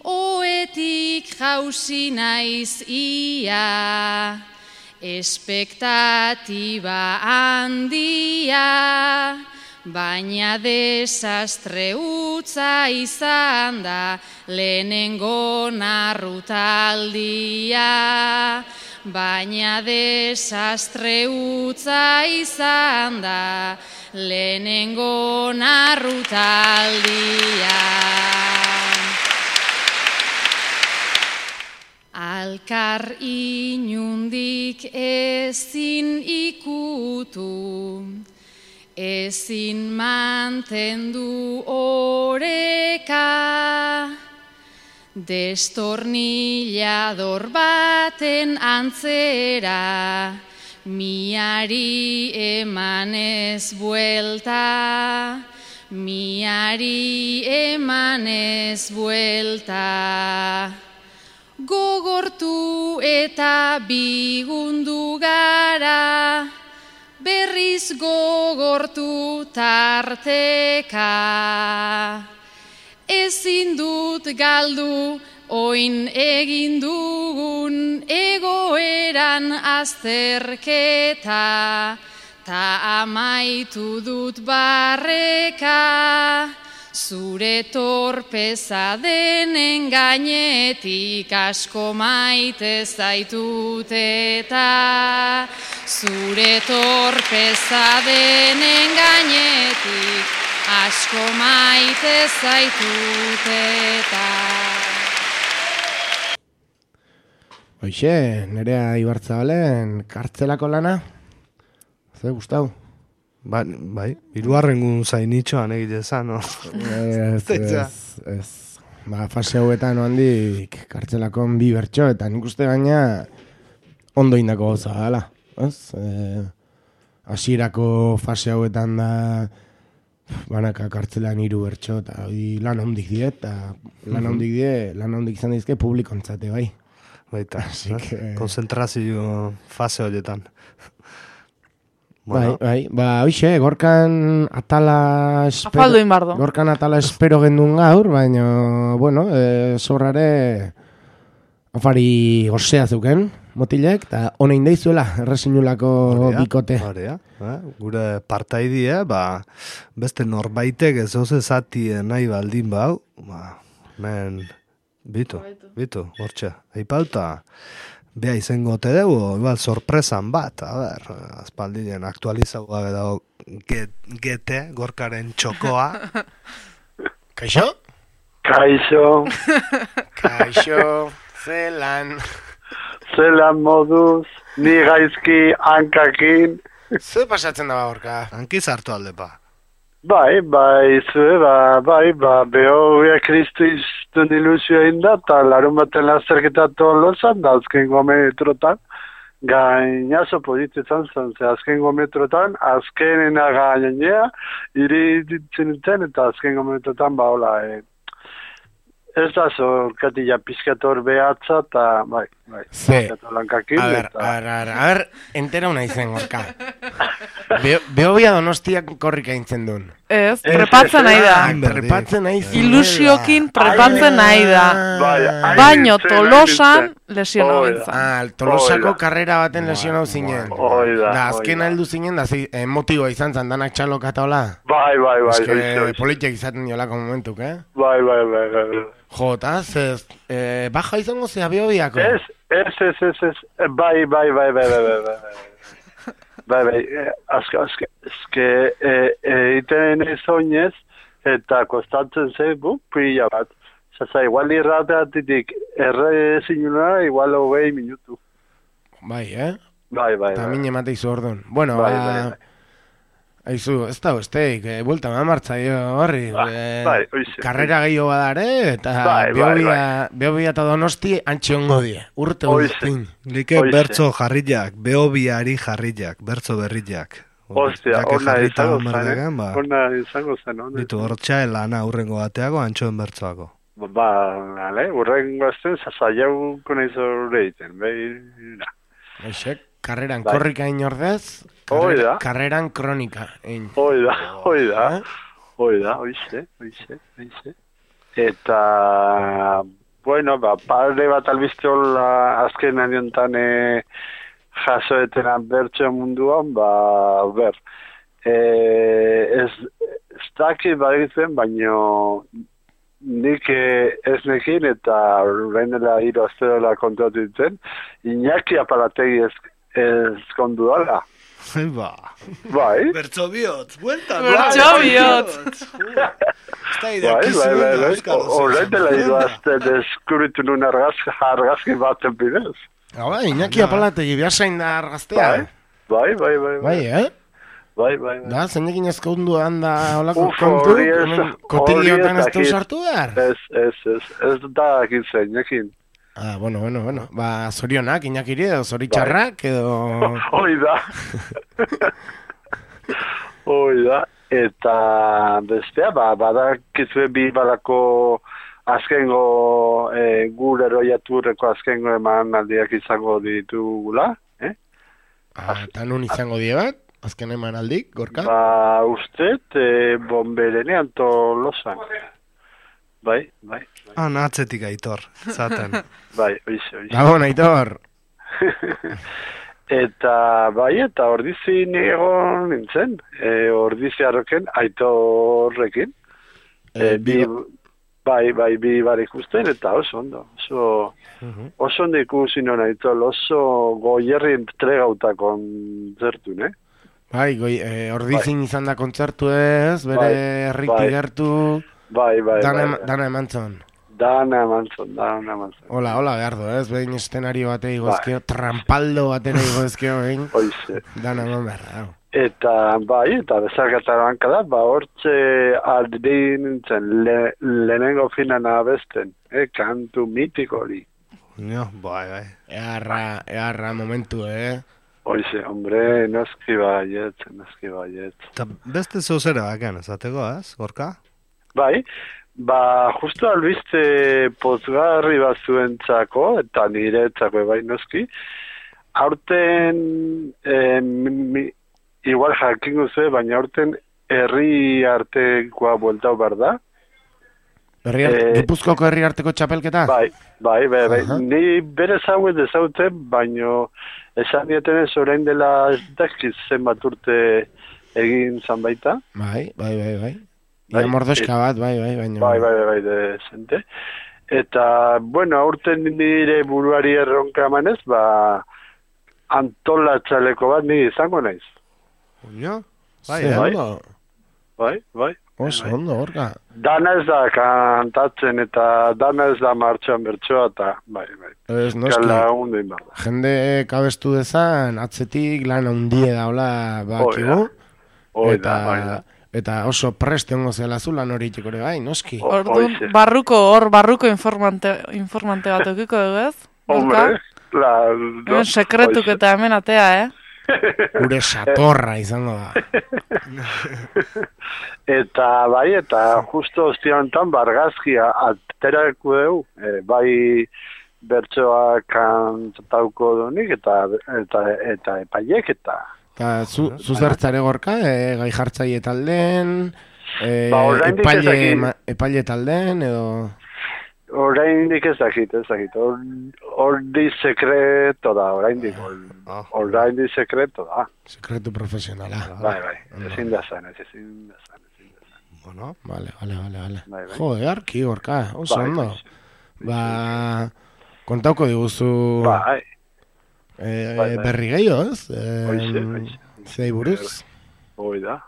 oetik jauzi naiz ia, espektatiba handia, baina desastre utza izan da lehenengo narrutaldia, baina desastre utza izan da lehenengo narrutaldia. Alkar inundik ezin ikutu, ezin mantendu oreka, destornillador baten antzera, miari emanez buelta, miari emanez buelta. Gogortu eta bigundu gara, berriz gogortu tarteka. Ezin dut galdu oin egin dugun egoeran azterketa, ta amaitu dut barreka, zure torpeza denen gainetik asko maite zaitut eta, zure torpeza denen gainetik asko maite zaitut eta.
Hoxe, Nerea Ibarzabalen kartzelako lana? Zer, Gustau?
Bai, hirugarrengun zainitxoan egite zan, no?
Ez. Ba, fase hauetan handik kartzelakon bi bertxo, eta nik uste gaina ondo indako goza dala. Hasierako fase hauetan da banaka kartzelan 3 bertxo, eta lan handik die, eta lan handik izan dizke publikontzate, bai.
Baita, konzentrazio fase horietan.
Bai, hoxe, gorkan atala espero gendun gaur, baina, bueno, zorrare afari gozea zuken, motilek, eta honein deizuela, errezinulako bikote.
Gure partaidie, beste norbaitek ez oze zati nahi baldin bau, men, bitu, hortxe, aipauta, beha izango te dugu, igual sorpresan bat, azpaldien aktualizau gabe dago gete, gorkaren txokoa.
Kaixo?
Kaixo,
zelan
moduz, ni gaizki hankakin.
Zer pasatzen da gorka?
Hanki zartu alde pa.
Bai, beho Kristu iztun ilusioa inda, eta larun baten lazerketatu lozan, da azkengo metrotan, gainazo pozitzen zen, azkengo metrotan, azkenena gainea, iriditzen zen, eta azkengo metrotan, hola, ez da zorkatila pizkator behatza, eta bai, pizkator lankakin.
A ber, entera una izen gorka. Behobia Donostiak korrika intzen duen.
Ez, prepatzen nahi da. Ilusiokin prepatzen nahi da. Baino Tolosan lesionau bintzen.
Tolosako karrera baten lesionau zinen. Da, azken heldu zinen, da motiboa izan zan, danak txaloka eta hola.
Bai.
Politiak izaten diolako momentuk, eh?
Bai.
Jo, eta baja izango zea Behobiako?
Ez. Bai. Azke, iten ez oinez, eta kostatzen ze, pila bat. Zaza, igual irrateatitik erre zinunara, igual 20 minutu.
Bai,
Bai.
Eta mine mate izu orduan. Bueno,
Aizu, ez da besteik, buelta martzaio horri.
Bai, oize.
Karrera gehiago badare, eta Beobia eta Donosti antxe ongo die. Urte guztin.
Like bertzo jarriak, Beobiari jarriak, bertzo berriak.
Ostia, ona izango zen.
Ditu, hortxa lana urrengo bateago, antxoen bertzoako.
Urrengo azten, zazaiauko nahi zore egiten, behira.
Aixek, karreran korrika inordez, karreran kronika.
Oida, oize. Eta, bueno, pare bat albizte hola azken aniontan jasoetenan bertxo munduan, ez daki badegitzen, baino nik ez nekin eta orain dela 3 aste dela kontatu ditzen, Iñaki Apalategi ez kondu dala. Bai.
Bertso bihotz, buelta.
Bertso bihotz.
Orain dela 3 aste deskubritu nun argazki baten bidez.
Iñaki Apalategi behasain da argaztea.
Bai. Bai.
Da, zeinekin ezkondu handa holako kontu, kotiliotan ez du sartu behar?
Ez da ekin zeinekin.
Bueno. Zorionak, Iñakiri edo zoritxarrak edo...
Oida. Eta bestea, badakizue bi balako azkengo gure eroiaturreko azkengo eman aldiak izango ditugula.
Eta nun izango die bat? Azken eman aldik, Gorka?
Usted, Bonberenean Tolosan. Bai.
Atzetik Aitor, zaten.
Bai, oize.
Gabon, Aitor.
Eta ordizin egon nintzen. Ordizi arroken, Aitorrekin. Bi barik usten, eta oso ondo. Oso ondo ikusi non Aitor, oso goierri entregauta kontzertu, ne?
Bai, ordizin izan da kontzertu ez, bere herriki gertu... Dana emantzon.
Dana emantzon.
Hola, behar du, ez? Behin estenario batei igozkio, trampaldo batera igozkio, behin.
Oize.
Dana eman behar, hau.
Eta bezarkataran kada, hortxe aldi nintzen lehenengo finan abesten, kantu mitiko hori.
Bai.
Earra momentu,
Oize, hombre, noski baiet.
Eta beste zozera bakan, ezateko, ez, Gorka?
Bai, justu albiste pozgarri bat zuentzako, eta niretzako bai noski, aurten, igual jakingo zuen, baina aurten herri artekoa bueltau behar da.
Gipuzkoko herri arteko txapelketa?
Bai. Ni bere zauet ezauten, baina esan dietenez orain dela ez dakiz zenbat urte egin zan baita.
Bai. Ia mordoska bat, bai, baina...
Bai, desente. Eta, bueno, aurten nire buruari erronka emanez, antolatxaleko bat ni izango naiz. Bai.
Oso ondo, Gorka.
Dana ez da kantatzen eta dana ez da martxoan bertsoa eta bai.
Ez noski, jende kabestu dezan, atzetik lan handie daula bakigu. Eta oso preste ongo zela zu lan hori txekore bai, noski.
Orduan, barruko informante bat okiko dugu ez?
Hombre,
hemen sekretuk eta hemen atea,
Gure satorra izango da.
Eta justo ostia honetan bargazkia aterako dugu, bai bertsoak kantauko donik eta epaiek eta...
Zu zertzare Gorka, gai jartzaile talden, epaile talden, edo...
Oraindik ez dakit. Ordi sekreto da, oraindik. Oraindik sekreto da.
Sekretu profesionala.
Bai. Ezin da zan.
Bueno, vale. Jode, arki, Gorka, oso ondo. Kontauko diguzu... berri gehiago, ez? Zei buruz?
Oida.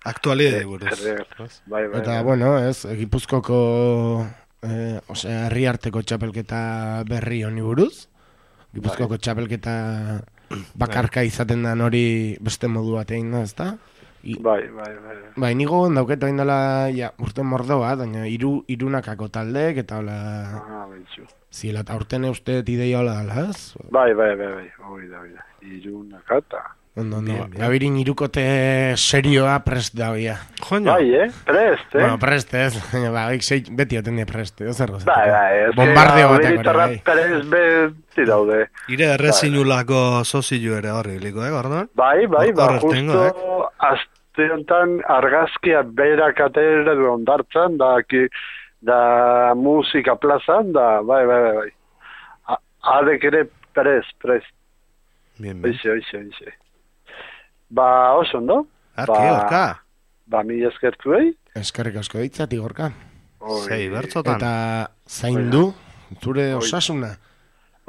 Aktualidade buruz.
Eta, bueno, ez, Gipuzkoko... herri arteko txapelketa berri honi buruz. Gipuzkoko txapelketa bakarka izaten da hori beste modu bat egin da, ezta? Bai, nigo dauket hain dela, ja, urte mordoa, baina irunakako taldeek, eta hola... Zila, eta urten eusteet ideia hola dala, ez?
Bai, oida, irunakata.
Ondo, gabirin irukote serioa prest dagoia.
Bai, prest,
Bueno, prest, ez? Beti oten die prest, ez ergo.
Bai,
bombardeo batek
hori. Prest beti daude.
Ire errezinulako sozilu ere horri biliko, Gordon?
Bai, justo aste honetan argazkia berak atera du ondartzan, da musika plazan, da, bai. Adek ere prest.
Bien.
Oixe. Ba, oso, no?
Gorka.
Ba, mila eskertuei.
Eskerrik asko ditzati, Gorka.
Sei, bertzotan.
Eta zaindu, zure osasuna.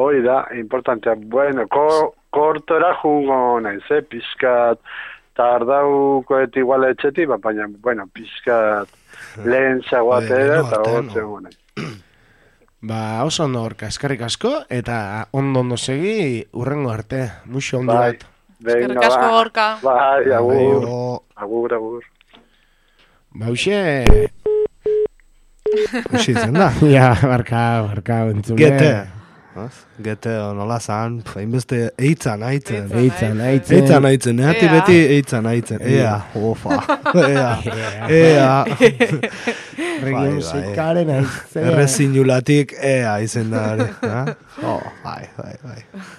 Hoi da, importantea. Bueno, kortora jungo naiz, pizkat tardaukoet igual etxeti, baina, bueno, pizkat lehen zaguatera eta hortze gune.
Ba, oso ondo, Gorka, eskerrik asko, eta ondo segi urrengo arte, muxo ondo bat.
Eskerrik asko, Gorka.
Bai, agur.
Ba, uxe
izan da.
Ja, barka, entzule.
Gete nola zan, hainbeste eitzan aitzen. Nehati beti eitzan aitzen. Ea, ofa. Ea.
Regio musikaren aitzen.
Errezinulatik ea izen da. Bai.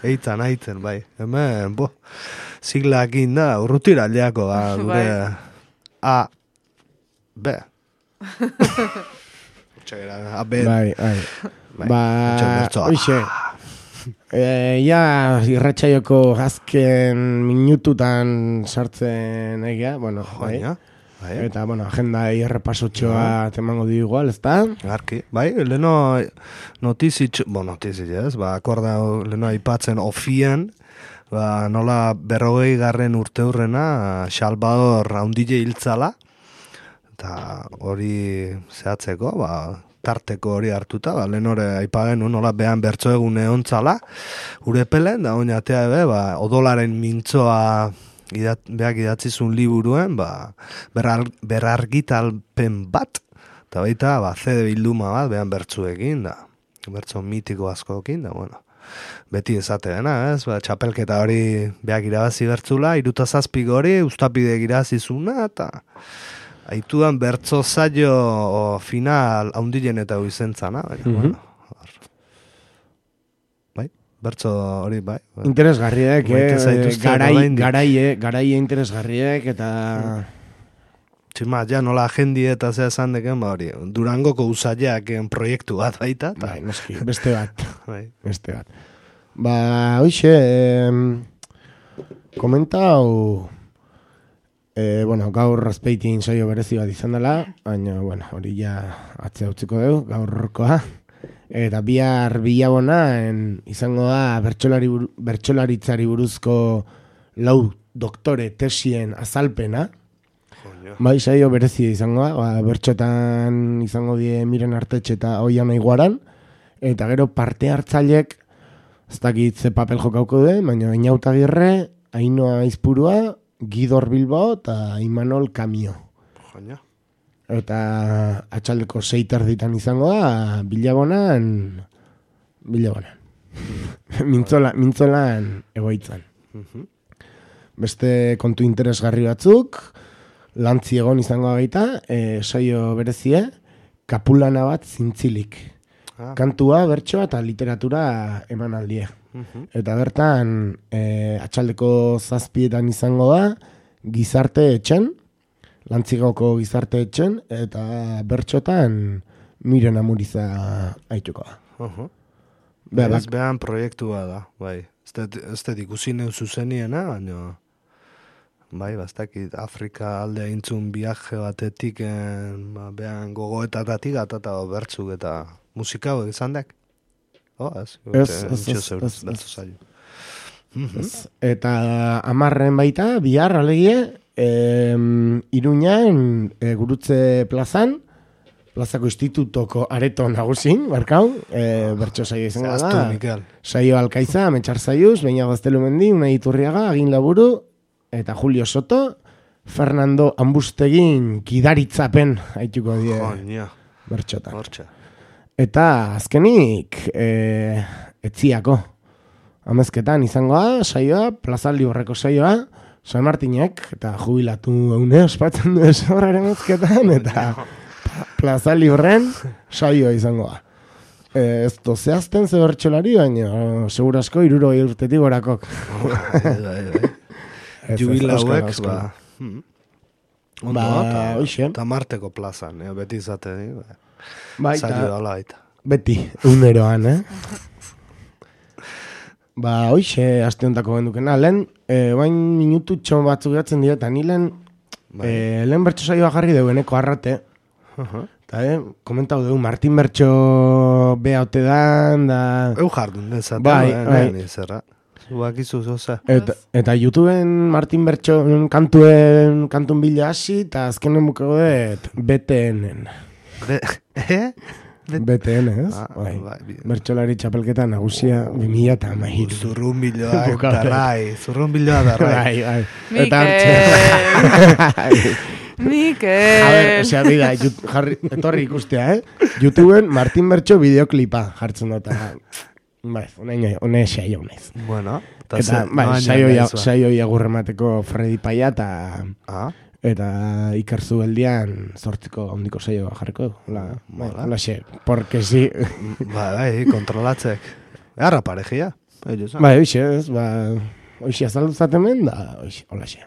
Eitzan aitzen, bai. Hemen, siglakin da, urrutira aldeako da. A. B. A, B.
Bai. Ba, oixe, irratxaioko azken minututan sartzen egea, bueno, bai. Eta, bueno, agenda errepasotxoa temango di igual, ez da?
Arki, bai, leheno notizitxo, ez, akorda leheno aipatzen ofian, nola 40. urte hurrena, Salvador haundile hiltzala, eta hori zehatzeko, tarteko hori hartuta, lehen hori aipagen nola behan bertso egune ontzala, urepelen, da oinatea ebe, odolaren mintzoa beak idatzizun liburuen, berargitalpen bat, eta baita, CD bilduma bat, behan bertzuekin, da, bertso mitiko askokin, da, bueno, beti esateena, ez, txapelketa hori beak irabazi bertzula, 67 hori, ustapide irazizuna, eta aitudan bertzo zailo final haundilen eta huizentzana, baina, bai, bertzo hori, bai.
Interesgarriek, garaie interesgarriek, eta...
Txima, ja, nola agendi eta zea esan deken, hori, Durangoko usaileak proiektu bat baita.
Bai, noski, beste bat. Ba, hoxe, komentau... bueno, gaur Azpeitin saio berezi bat izan dela, baina, bueno, hori ja atzea utziko dugu, gaurkoa. Eta bihar bilabona izango da bertsolaritzari buruzko 4 doktore tesien azalpena. Bai, saio berezi izango da, bertxotan izango die Miren Artetxe eta Oian Aiguaran, eta gero parte hartzailek, ez dakit ze papel jokauko duen, baina Inauta Agirre, Ainhoa Aizpurua, Gidor Bilbao eta Imanol Kamio. Eta atxaldeko 6:00 izango da, bilabonan. Mintzolan egoitzan. Beste kontu interesgarri batzuk, lantzi egon izango gaita, saio berezie, kapulana bat zintzilik. Kantua, bertsoa eta literatura emanaldie. Eta bertan, atxaldeko 7:00 izango da, gizarte etxen, Lantzigoko gizarte etxen, eta bertxotan Miren Amuriza aituko da.
Behan proiektua da, bai. Ez da ikusi neu zuzeniena, baina... Bai, bastakit Afrika aldea intzun viaje batetik, behan gogoetatatik atata bertzuk eta musika hori izan dek.
Eta 10:00 baita, bihar alegie, Iruñan Gurutze plazan, plazako institutoko areto nagusin, barkau, bertso saio izango da. Saio Alkaiza, Metxar Zaiuz, Beina Gaztelumendi, Unai Iturriaga, Agin Laburu, eta Julio Soto, Fernando Ambustegin gidaritzapen haituko die bertxotan. Eta azkenik etziako amezketan izangoa, saioa, Plaza Libreko saioa, San Martinek, eta jubilatu eune ospatzen du esorraren ezketan, eta Plaza Libren saioa izangoa. Ez zehazten ze bertxolari, baina segurasko 60 urtetik gorakok.
Jubilauek,
Ondo,
Marteko plazan, beti izate,
saio
dala baita.
Beti, uneroan, hoxe, aste hontako gendukena. Lehen, bain minututxo batzuk gatzen dira, eta ni lehen bertso saioa jarri deueneko arrate. Eta, komentau dugu, Martin Bertxo beha ote dan, da...
jardun dezaten, zerra. Zubakizu zoza.
Eta YouTubeen Martin Bertxo kantun bila hasi, eta azkenen bukego dut BTN-en. BTN, ez? Bertxolari txapelketa nagusia 2013.
Zurrunbiloa darrai.
Mikel.
A ver, osea, bida, etorri ikustea, YouTubeen Martin Bertxo bideoklipa jartzen dut. Hone saio naiz.
Bueno.
Eta, saio agurremateko Freddy Paia eta Iker Zubeldian 8ko ondiko saioa jarriko. Hola, xe, porque si...
Kontrolatzek. Arra parejia.
Hoxe, ez, hoxe azalduzatemen, hola xe.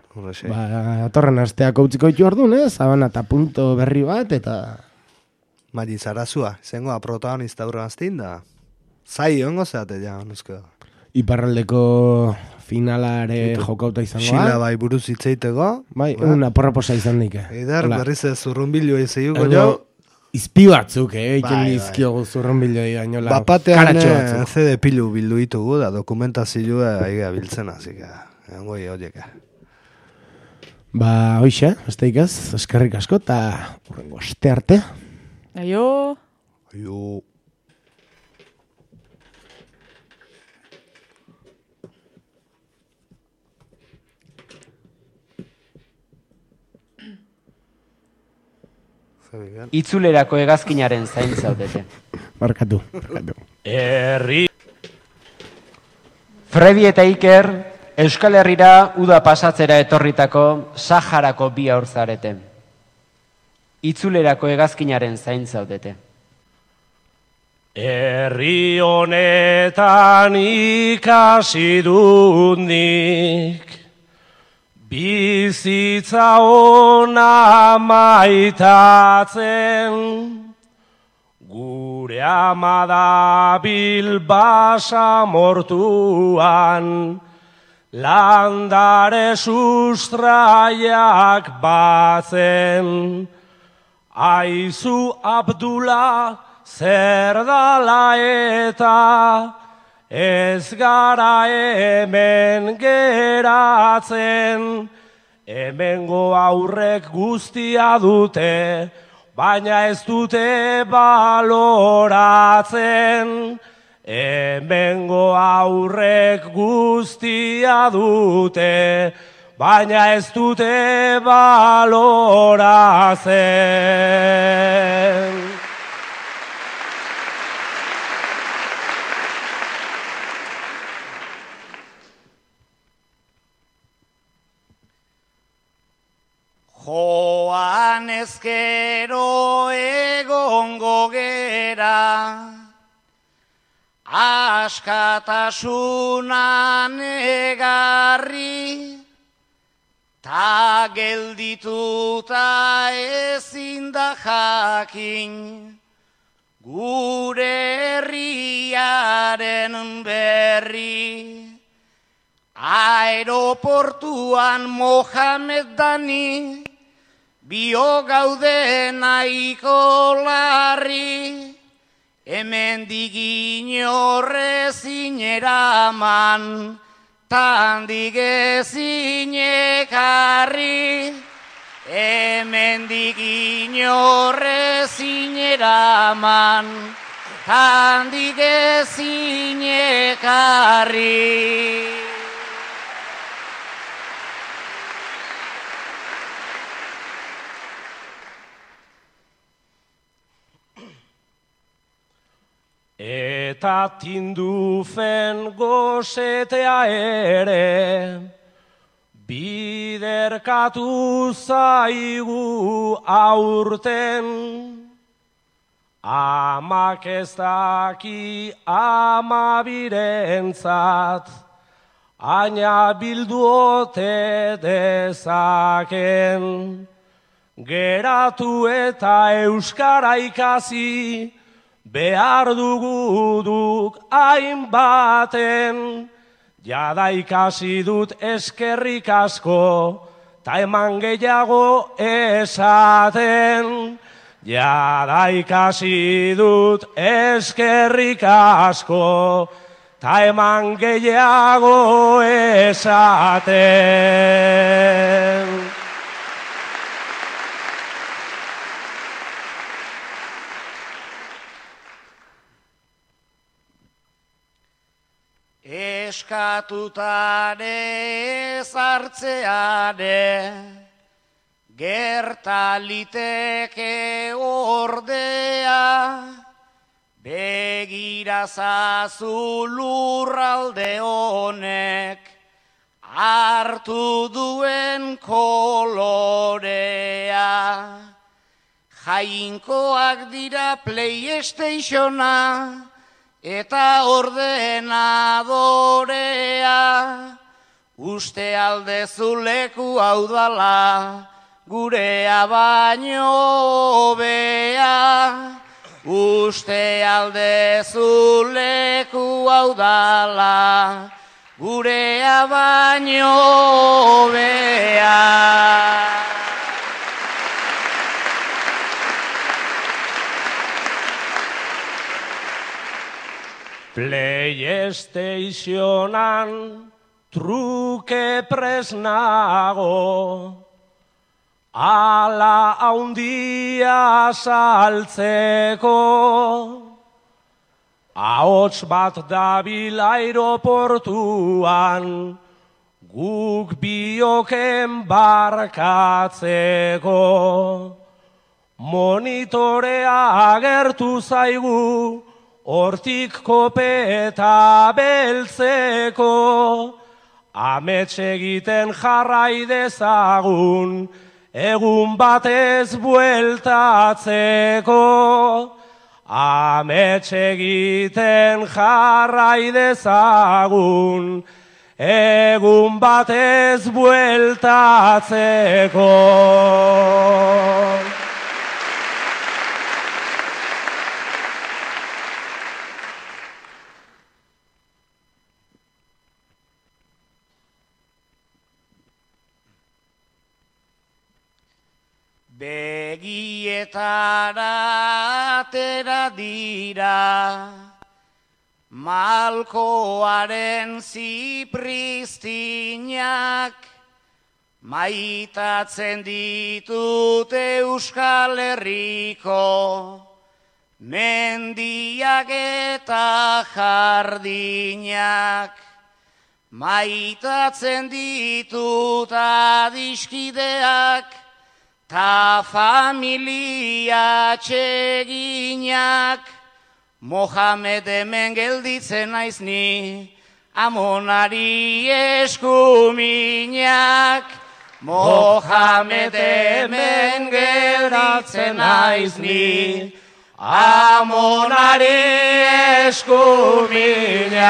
Atorren asteako utziko ditu orduan, Zabana eta punto berri bat, eta...
Mari Zarazua, zengoa protagonista urran aztin da. Zai ongo zeate ja, nuzko.
Iparraldeko finalare jokauta izangoa.
Xila bai buruz hitzeiteko.
Bai, una porraposa izan dike.
Eider, berriz ez zurrunbilua izaiuko jo.
Izpi batzuk, egiten dizkiogu zurrunbilua igainola.
Bapatean CD pilu bildu ditugu da dokumentazioa aigea biltzen, así que engoi horieka.
Hoxe, besteik ez, eskerrik asko, eta urrengo aste arte.
Aio.
Itzulerako hegazkinaren zain zaudete.
Barkatu.
Herri. Fredi eta Iker, Euskal Herrira uda pasatzera etorritako Saharako bi haur zarete. Itzulerako hegazkinaren zain zaudete.
Herri honetan ikasi dut nik, bizitza ona maitatzen, gure ama da Bilbasa mortuan, landare sustraiak batzen, aizu Abdula zer dala eta ez gara hemen geratzen, hemengo aurrek guztia dute, baina ez dute baloratzen. Hemengo aurrek guztia dute, baina ez dute baloratzen.
Joan ezkero egongo gera, askatasunan egarri, ta geldituta ezin da jakin, gure herriaren berri. Aeroportuan Mohamed Dani, bio gaude nahiko larri, hemendik inorrezin eraman, tandik ezin ekarri. Hemendik inorrezin eraman, tandik ezin ekarri.
eta tindufen gosetea ere, biderkatu zaigu aurten. Amak ez daki amabirentzat, aina bildu ote dezaken. Geratu eta euskara ikasi, behar duguduk hainbaten. Jada ikasi dut eskerrik asko, ta eman gehiago esaten. Jada ikasi dut eskerrik asko, ta eman gehiago esaten.
Eskatutare zartzeare, gerta liteke ordea, begira zazu lurralde honek, hartu duen kolorea. Jainkoak dira PlayStationa, eta ordenadorea, uste aldezu leku hau dala, gurea baino hobea. Uste aldezu leku hau dala, gurea baino hobea.
PlayStationan truke presnago, ala haundia saltzeko. Ahots bat dabil aeroportuan, guk bioken barkatzeko. Monitorea agertu zaigu, hortik kopeta beltzeko. Amets egiten jarrai dezagun, egun batez bueltatzeko. Amets egiten jarrai dezagun, egun batez bueltatzeko.
Begietara atera dira, malkoaren zipristinak, maitatzen ditut Euskal Herriko, mendiak eta jardinak. Maitatzen ditut adiskideak, ta familia txeginak. Mohamed hemen gelditzen naiz ni, Amonari eskuminak. Mohamed hemen gelditzen naiz ni, Amonari eskuminak.